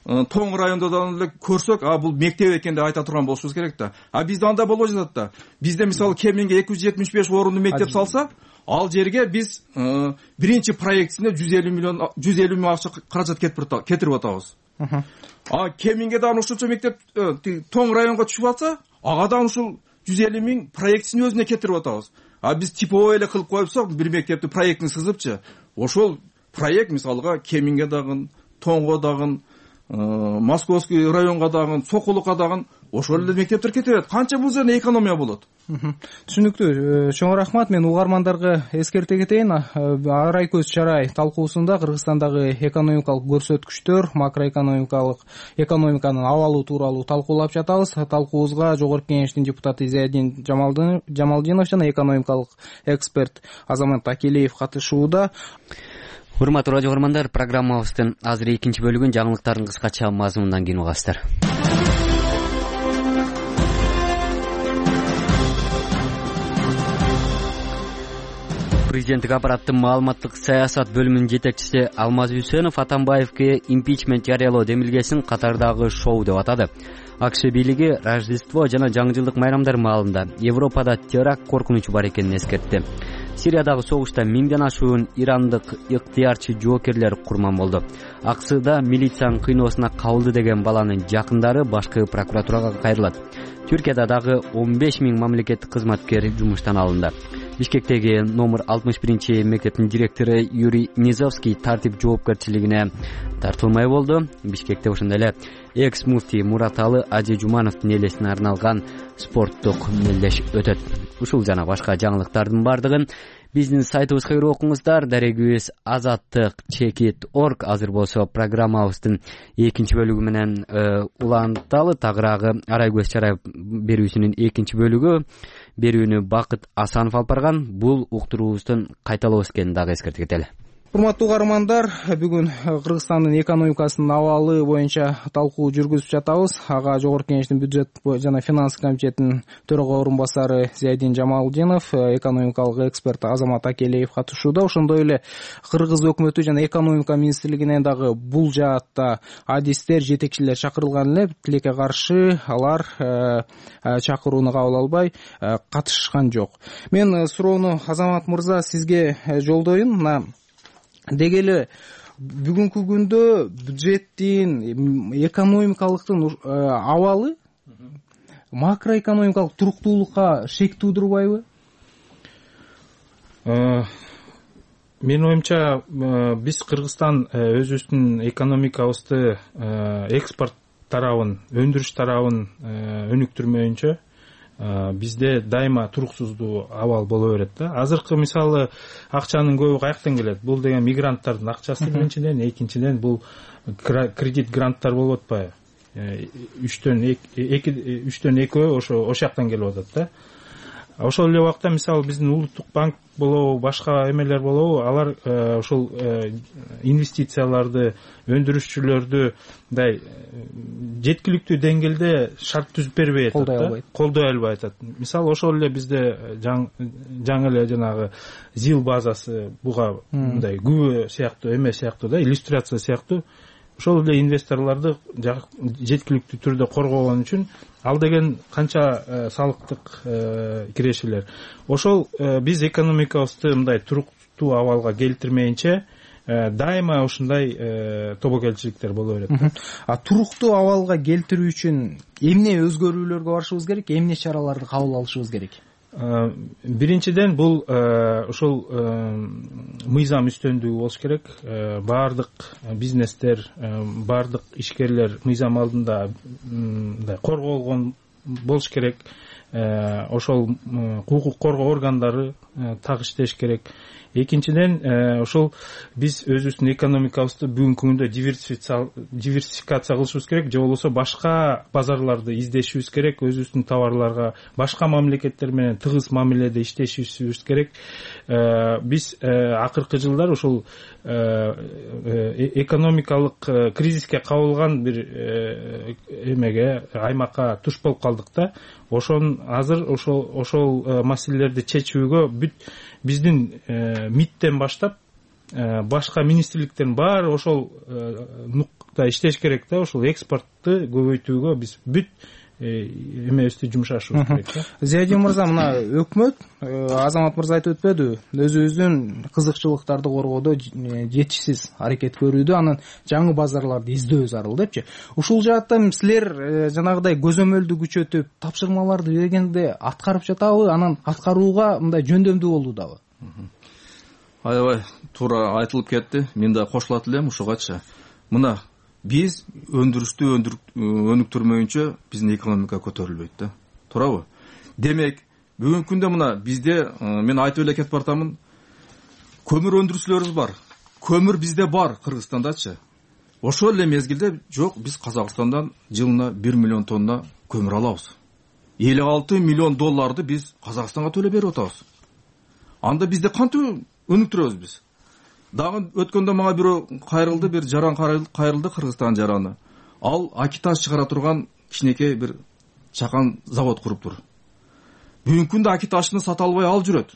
Speaker 16: Тоң районунда эле көрсөк, а бул мектеп экен деп айта турган болушубуз керек да. А бизде анда болбой жатат да. Бизде мисалы Кеминге эки жүз жетимиш беш орунду мектеп салса, ал жерге биз биринчи проектисине жүз элүү миллион жүз элүү миң акча каражат кетирип атабыз. А Кеминге дагы ушунча мектеп Тоң районго түшүп атса, ага дагы ушул жүз элүү миң проектисин өзүнө кетирип атабыз. А биз типовой эле кылып коюпсак, бир мектепти проектин сызыпчы, ошол проект мисалга Кеминге дагы, Тоңго дагы, Московский районго дагы, Сокулукка дагы ошол эле мектептер кете берет. Канча бул жерде экономия болот?
Speaker 15: Түшүнүктүү. Чоң рахмат. Мен угармандарга эскерте кетейин. Арай көз чарай талкуусунда Кыргызстандагы экономикалык көрсөткүчтөр, макроэкономикалык экономиканын абалы тууралуу талкуулап жатабыз. Талкуубузга жогорку кеңештин депутаты Зиядин Жамалдинов жана экономикалык эксперт Азамат Акелиев катышууда.
Speaker 1: Урматтуу радио угармандар, программабыздын азыр экинчи бөлүгүн жаңылыктардын кыскача мазмунунан кийин угасыздар. президенттик аппараттын маалыматтык саясат бөлүмүнүн жетекчиси Алмаз Үсөнов Атамбаевге импичмент жарыялоо демилгесин катардагы шоу деп атады. АКШ бийлиги Рождество жана жаңы жылдык майрамдар маалында Европада теракт коркунучу бар экенин эскертти. Сириядагы согушта миңден ашуун ирандык ыктыярчы жоокерлер курман болду. Аксыда милициянын кыйноосуна кабылды деген баланын жакындары башкы прокуратурага кайрылат. Түркияда дагы он беш миң мамлекеттик кызматкер жумуштан алынды. Бишкектеги номер алтымыш биринчи мектептин директору Юрий Низовский тартип жоопкерчилигине тартылмай болду. Бишкекте ошондой эле экс муфтий Мураталы Ажи Жумановдун элесине арналган спорттук мелдеш өтөт. Ушул жана башка жаңылыктардын бардыгын биздин сайтыбызга кирип окуңуздар. Дарегибиз азаттык чекит орг. Азыр болсо программабыздын экинчи бөлүгү менен уланталы. Тагыраагы Арай көз чарай берүүсүнүн экинчи бөлүгү. Берүүнү Бакыт Асанов алып барган. Бул уктуруубуздун кайталоосу экенин дагы эскертип кетели.
Speaker 15: Урматтуу угармандар, бүгүн Кыргызстандын экономикасынын абалы боюнча талкуу жүргүзүп жатабыз. Ага Жогорку Кеңештин бюджет жана финанс комитетинин төрага орун басары Зиядин Жамалдинов, экономикалык эксперт Азамат Акелеев катышууда. Ошондой эле Кыргыз өкмөтү жана экономика министрлигинен дагы бул жаатта адистер, жетекчилер чакырылган эле. Тилекке каршы алар чакырууну кабыл албай катышкан жок. Мен суроону Азамат мырза сизге жолдоюн. Мына деги эле бүгүнкү күндө бюджеттин экономикалыктын абалы макроэкономикалык туруктуулукка шек туудурбайбы?
Speaker 17: Менин оюмча биз Кыргызстан өзүбүздүн экономикабызды экспорт тарабын, өндүрүш тарабын өнүктүрмөйүнчө бизде дайыма туруксуздуу абал боло берет да. Азыркы мисалы акчанын көбү каяктан келет? Бул деген мигранттардын акчасы биринчиден, экинчиден бул кредит гранттар болуп атпайбы? үчтөн экөө ошо ошол жактан келип атат да. Ошол эле убакта мисалы биздин улуттук банк болобу, башка эмелер болобу, алар ошол инвестицияларды, өндүрүшчүлөрдү мындай жеткиликтүү деңгээлде шарт түзүп бербей атат да, колдой албай атат. Мисалы ошол эле бизде жаңы эле жанагы ЗИЛ базасы буга мындай күбө сыяктуу эме сыяктуу да, иллюстрация сыяктуу ошол эле инвесторлорду жеткиликтүү түрдө коргогон үчүн ал деген канча салыктык кирешелер. Ошол биз экономикабызды мындай туруктуу абалга келтирмейинче дайыма ушундай тобокелчиликтер боло берет.
Speaker 15: А туруктуу абалга келтирүү үчүн эмне өзгөрүүлөргө барышыбыз керек, эмне чараларды кабыл алышыбыз керек?
Speaker 17: Биринчиден бул ошол мыйзам үстөмдүгү болуш керек. Баардык бизнестер, баардык ишкерлер мыйзам алдында мындай корголгон болуш керек. Ошол укук коргоо органдары так иштеш керек. Экинчиден ошол биз өзүбүздүн экономикабызды бүгүнкү күндө диверсификация кылышыбыз керек, же болбосо башка базарларды издешибиз керек, өзүбүздүн товарларга башка мамлекеттер менен тыгыз мамиледе иштешибиз керек. Биз акыркы жылдар ошол экономикалык кризиске кабылган бир эмеге, аймакка туш болуп калдык да. Ошон азыр ошол ошол маселелерди чечүүгө бүт биздин МИДтен баштап башка министрликтердин баары ошол нукта иштеш керек да. Ошол экспортты көбөйтүүгө биз бүт эмебизди жумшашыбыз керек да.
Speaker 15: Зиядин мырза, мына өкмөт Азамат мырза айтып өтпөдү, өзүбүздүн кызыкчылыктарды коргоодо жетишсиз аракет көрүүдө, анан жаңы базарларды издөө зарыл депчи. Ушул жаатта силер жанагыдай көзөмөлдү күчөтүп, тапшырмаларды бергенде аткарып жатабы, анан аткарууга мындай жөндөмдүү болуудабы?
Speaker 16: Аябай туура айтылып кетти. Мен да кошулат элем ушугачы. Мына биз өндүрүштү өнүктүрмөйүнчө биздин экономика көтөрүлбөйт да. Туурабы? Демек, бүгүнкү күндө мына бизде мен айтып эле кетип бартамын. Көмүр өндүрүүчүлөрүбүз бар. Көмүр бизде бар Кыргызстандачы. Ошол эле мезгилде жок, биз Казакстандан жылына бир миллион тонна көмүр алабыз. элүү алты миллион долларды биз Казакстанга төлөп берип атабыз. Анда бизде кантип өнүктүрөбүз биз? Дагы өткөндө мага бирөө кайрылды, бир жаран кайрылды, Кыргызстан жараны. Ал акиташ чыгара турган кичинекей бир чакан завод куруптур. Бүгүнкү күндө акиташны сата албай ал жүрөт.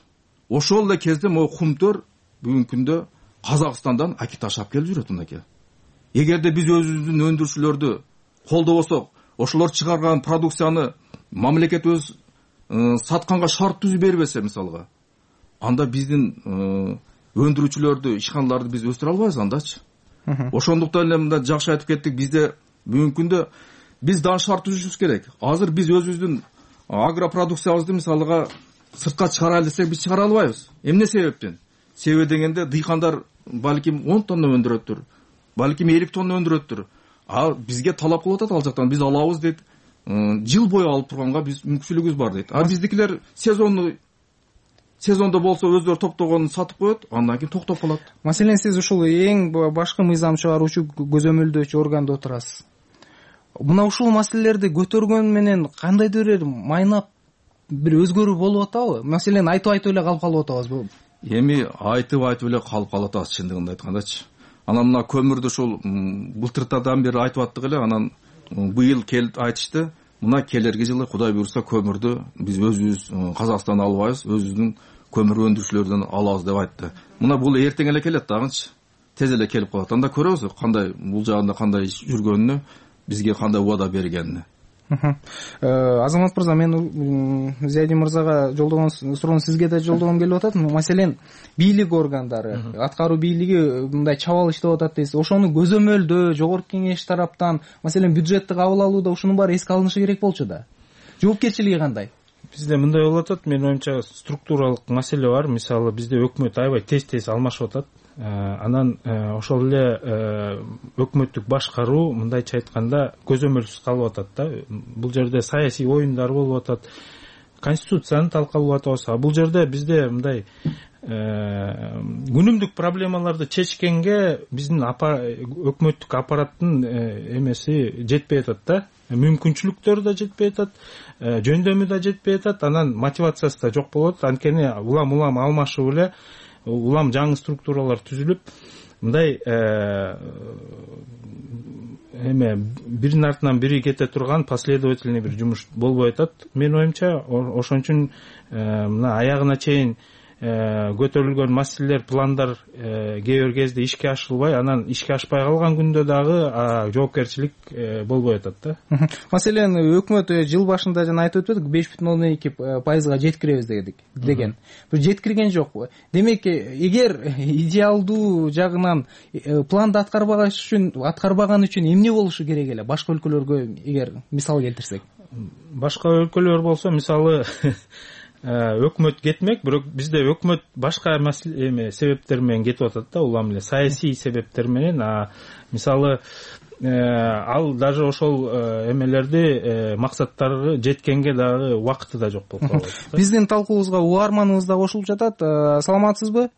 Speaker 16: ошол эле кезде могу кумтөр бүгүнкү күндө Казакстандан аки ташап келип жүрөт мынакей. Эгерде биз өзүбүздүн өндүрүүчүлөрдү колдобосок, ошолор чыгарган продукцияны мамлекет өз сатканга шарт түзүп бербесе мисалга, анда биздин өндүрүүчүлөрдү, ишканаларды биз өстүрө албайбыз андачы. Ошондуктан эле мында жакшы айтып кеттик, бизде бүгүнкү күндө биз дагы шарт түзүшүбүз керек. Азыр биз өзүбүздүн агропродукциябызды мисалга сыртка чыгарайлы десек, биз чыгара албайбыз. Эмне себептен? Себеби дегенде дыйкандар балким он тонна өндүрөттүр, балким элүү тонна өндүрөттүр. А бизге талап кылып атат ал жактан, биз алабыз дейт. Жыл бою алып турганга биз мүмкүнчүлүгүбүз бар дейт. А биздикилер сезонну сезондо болсо өздөрү топтогонун сатып коет, андан кийин токтоп калат.
Speaker 15: Маселен, сиз ушул эң башкы мыйзам чыгаруучу, көзөмөлдөөчү органда отурасыз. Мына ушул маселелерди көтөргөн менен кандайдыр бир майнап бир өзгөрүү болуп атабы? Маселен, айтып айтып эле калып калып атабызбы?
Speaker 16: Эми айтып айтып эле калып калып атабыз, чындыгын айткандачы. Анан мына көмүрдү ушул былтыртадан бери айтып аттык эле, анан быйыл келип айтышты. Мына келерки жылы Кудай буйрса көмүрдү биз өзүбүз Казакстандан албайбыз, өзүбүздүн көмүр өндүрүүчүлөрдөн алабыз деп айтты. Мына бул эртең эле келет дагычы. Тез эле келип калат. Анда көрөбүз кандай бул жагында кандай жүргөнүнү, бизге кандай убада бергенин.
Speaker 15: Азамат мырза, мен Зиядин мырзага жолдогон суроону сизге да жолдогом келип атат. Маселен, бийлик органдары, аткаруу бийлиги мындай чабал иштеп атат дейсиз. Ошону көзөмөлдөө жогорку кеңеш тараптан, маселен, бюджетти кабыл алууда ушунун баары эске алынышы керек болчу да. Жоопкерчилиги кандай?
Speaker 17: Бизде мындай болуп атат, менин оюмча структуралык маселе бар. Мисалы, бизде өкмөт аябай тез-тез алмашып атат. Анан ошол эле өкмөттүк башкаруу мындайча айтканда көзөмөлсүз калып атат да. Бул жерде саясий оюндар болуп атат, конституцияны талкалап атабыз. А бул жерде бизде мындай күнүмдүк проблемаларды чечкенге биздин өкмөттүк аппараттын эмеси жетпей атат да. Мүмкүнчүлүктөрү да жетпей атат, жөндөмү да жетпей атат, анан мотивациясы да жок болот. Анткени улам-улам алмашып эле улам жаңы структуралар түзүлүп, мындай эме биринин артынан бири кете турган последовательный бир жумуш болбой атат. Менин оюмча, ошон үчүн мына аягына чейин көтөрүлгөн маселелер, пландар кээ бир кезде ишке ашырылбай, анан ишке ашпай калган күндө дагы жоопкерчилик болбой атат да.
Speaker 15: Маселен, өкмөт жыл башында жана айтып өттүк, беш бүтүн ондон эки пайызга жеткиребиз деген. Бир жеткирген жокпу? Демек, эгер идеалдуу жагынан планды аткарбаган үчүн, аткарбаган үчүн эмне болушу керек эле? Башка өлкөлөргө эгер мисал келтирсек.
Speaker 17: Башка өлкөлөр болсо, мисалы, өкмөт кетмек, бирок бизде өкмөт башка эме себептер менен кетип атат да, улам эле саясий себептер менен. А мисалы, ал даже ошол эмелерди, максаттары жеткенге дагы убакыты да жок болуп калат.
Speaker 15: Биздин талкуубузга угарманыбыз да кошулуп жатат. Саламатсызбы?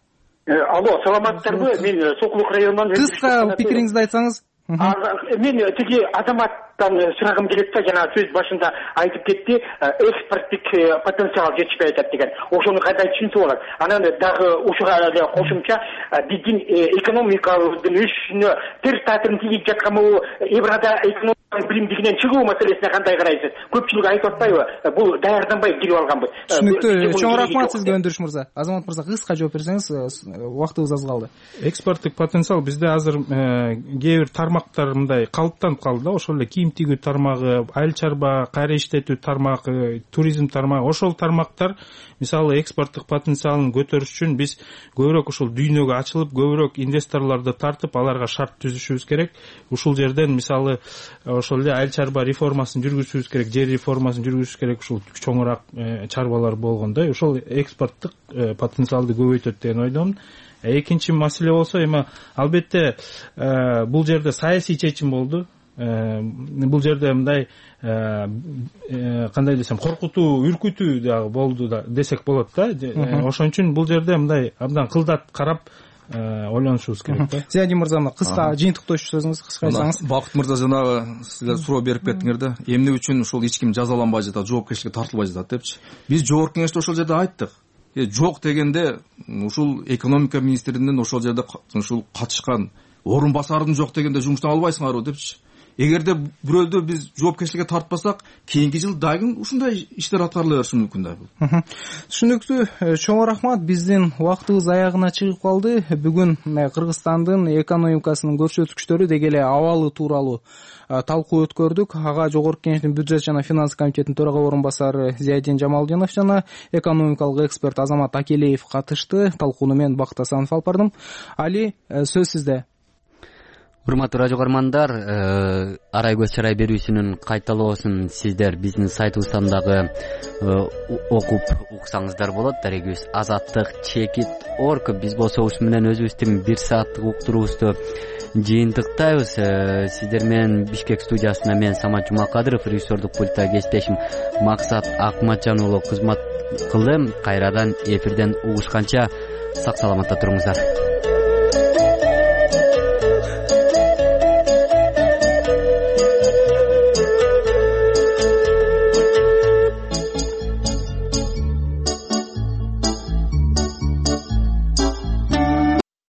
Speaker 19: Алло, саламатсыздарбы? Мен Сокулук районунан.
Speaker 15: Кыска пикириңизди айтсаңыз.
Speaker 19: Мен тиги азаматтан сурагым келет да, жана сөз башында айтып кетти, экспорттук потенциал жетишпей атат деген. Ошону кандай түшүнсө болот? Анан дагы ушуга эле кошумча, биздин экономикабыздын өсүшүнө тер таасирин тийип жатканбы, Еврада экономиканын билимдигинен чыгуу маселесине кандай карайсыз? Көпчүлүк айтып атпайбы? Бул даярданбай кирип алганбы?
Speaker 15: Түшүнүктүү. Чоң рахмат сизге, Өндүрүш мырза. Азамат мырза, кыска жооп берсеңиз, убактыбыз аз калды.
Speaker 17: Экспорттук потенциал бизде азыр кээ бир тармактар мындай калыптанып калды да. Ошол эле кийим тигүү тармагы, айыл чарба, кайра иштетүү тармагы, туризм тармагы, ошол тармактар мисалы экспорттук потенциалын көтөрүш үчүн биз көбүрөөк ушул дүйнөгө ачылып, көбүрөөк инвесторлорду тартып, аларга шарт түзүшүбүз керек. Ушул жерден мисалы ошол эле айыл чарба реформасын жүргүзүшүбүз керек, жер реформасын жүргүзүшүбүз керек, ушул чоңураак чарбалар болгондой. Ошол экспорттук потенциалды көбөйтөт деген ойдомун. Экинчи маселе болсо, эми албетте бул жерде саясий чечим болду. Бул жерде мындай кандай десем, коркутуу, үркүтүү дагы болду да десек болот да. Ошон үчүн бул жерде мындай абдан кылдат карап ойлонушубуз керек да.
Speaker 15: Зиядин мырза, кыска жыйынтыктоочу сөзүңүз кыска айтсаңыз.
Speaker 16: Бакыт мырза, жанагы силер суроо берип кеттиңер да, эмне үчүн ушул эч ким жазаланбай жатат, жоопкерчиликке тартылбай жатат депчи. Биз жогорку кеңеште ошол жерде айттык. Жок дегенде ушул экономика министринин ошол жерде ушул катышкан орун басардын жок дегенде жумуштан албайсыңарбы депчи. эгерде бирөөлдү биз жоопкерчиликке тартпасак кийинки жыл дагы ушундай иштер аткарыла бериши мүмкүн да. Бул
Speaker 15: түшүнүктүү. Чоң рахмат. Биздин убактыбыз аягына чыгып калды. Бүгүн Кыргызстандын экономикасынын көрсөткүчтөрү деги эле абалы тууралуу талкуу өткөрдүк. Ага Жогорку Кеңештин бюджет жана финанс комитетинин төрага орун басары Зиядин Жамалдинов жана экономикалык эксперт Азамат Акелеев катышты. Талкууну мен Бакыт Асанов алып бардым. Али, сөз сизде.
Speaker 1: Урматтуу радио көрөрмандар, арай көз чарай берүүсүнүн кайталоосун сиздер биздин сайтыбыздан дагы окуп уксаңыздар болот. Дарегибиз азаттык чекит точка орг. Биз болсо ушу менен өзүбүздүн бир сааттык уктуруубузду жыйынтыктайбыз. Сиздер менен Бишкек студиясына мен Самат Жумакадыров, режиссердук пультта кесиптешим Максат Акматжан уулу кызмат кылды. Кайрадан эфирден угушканча сак саламатта туруңуздар.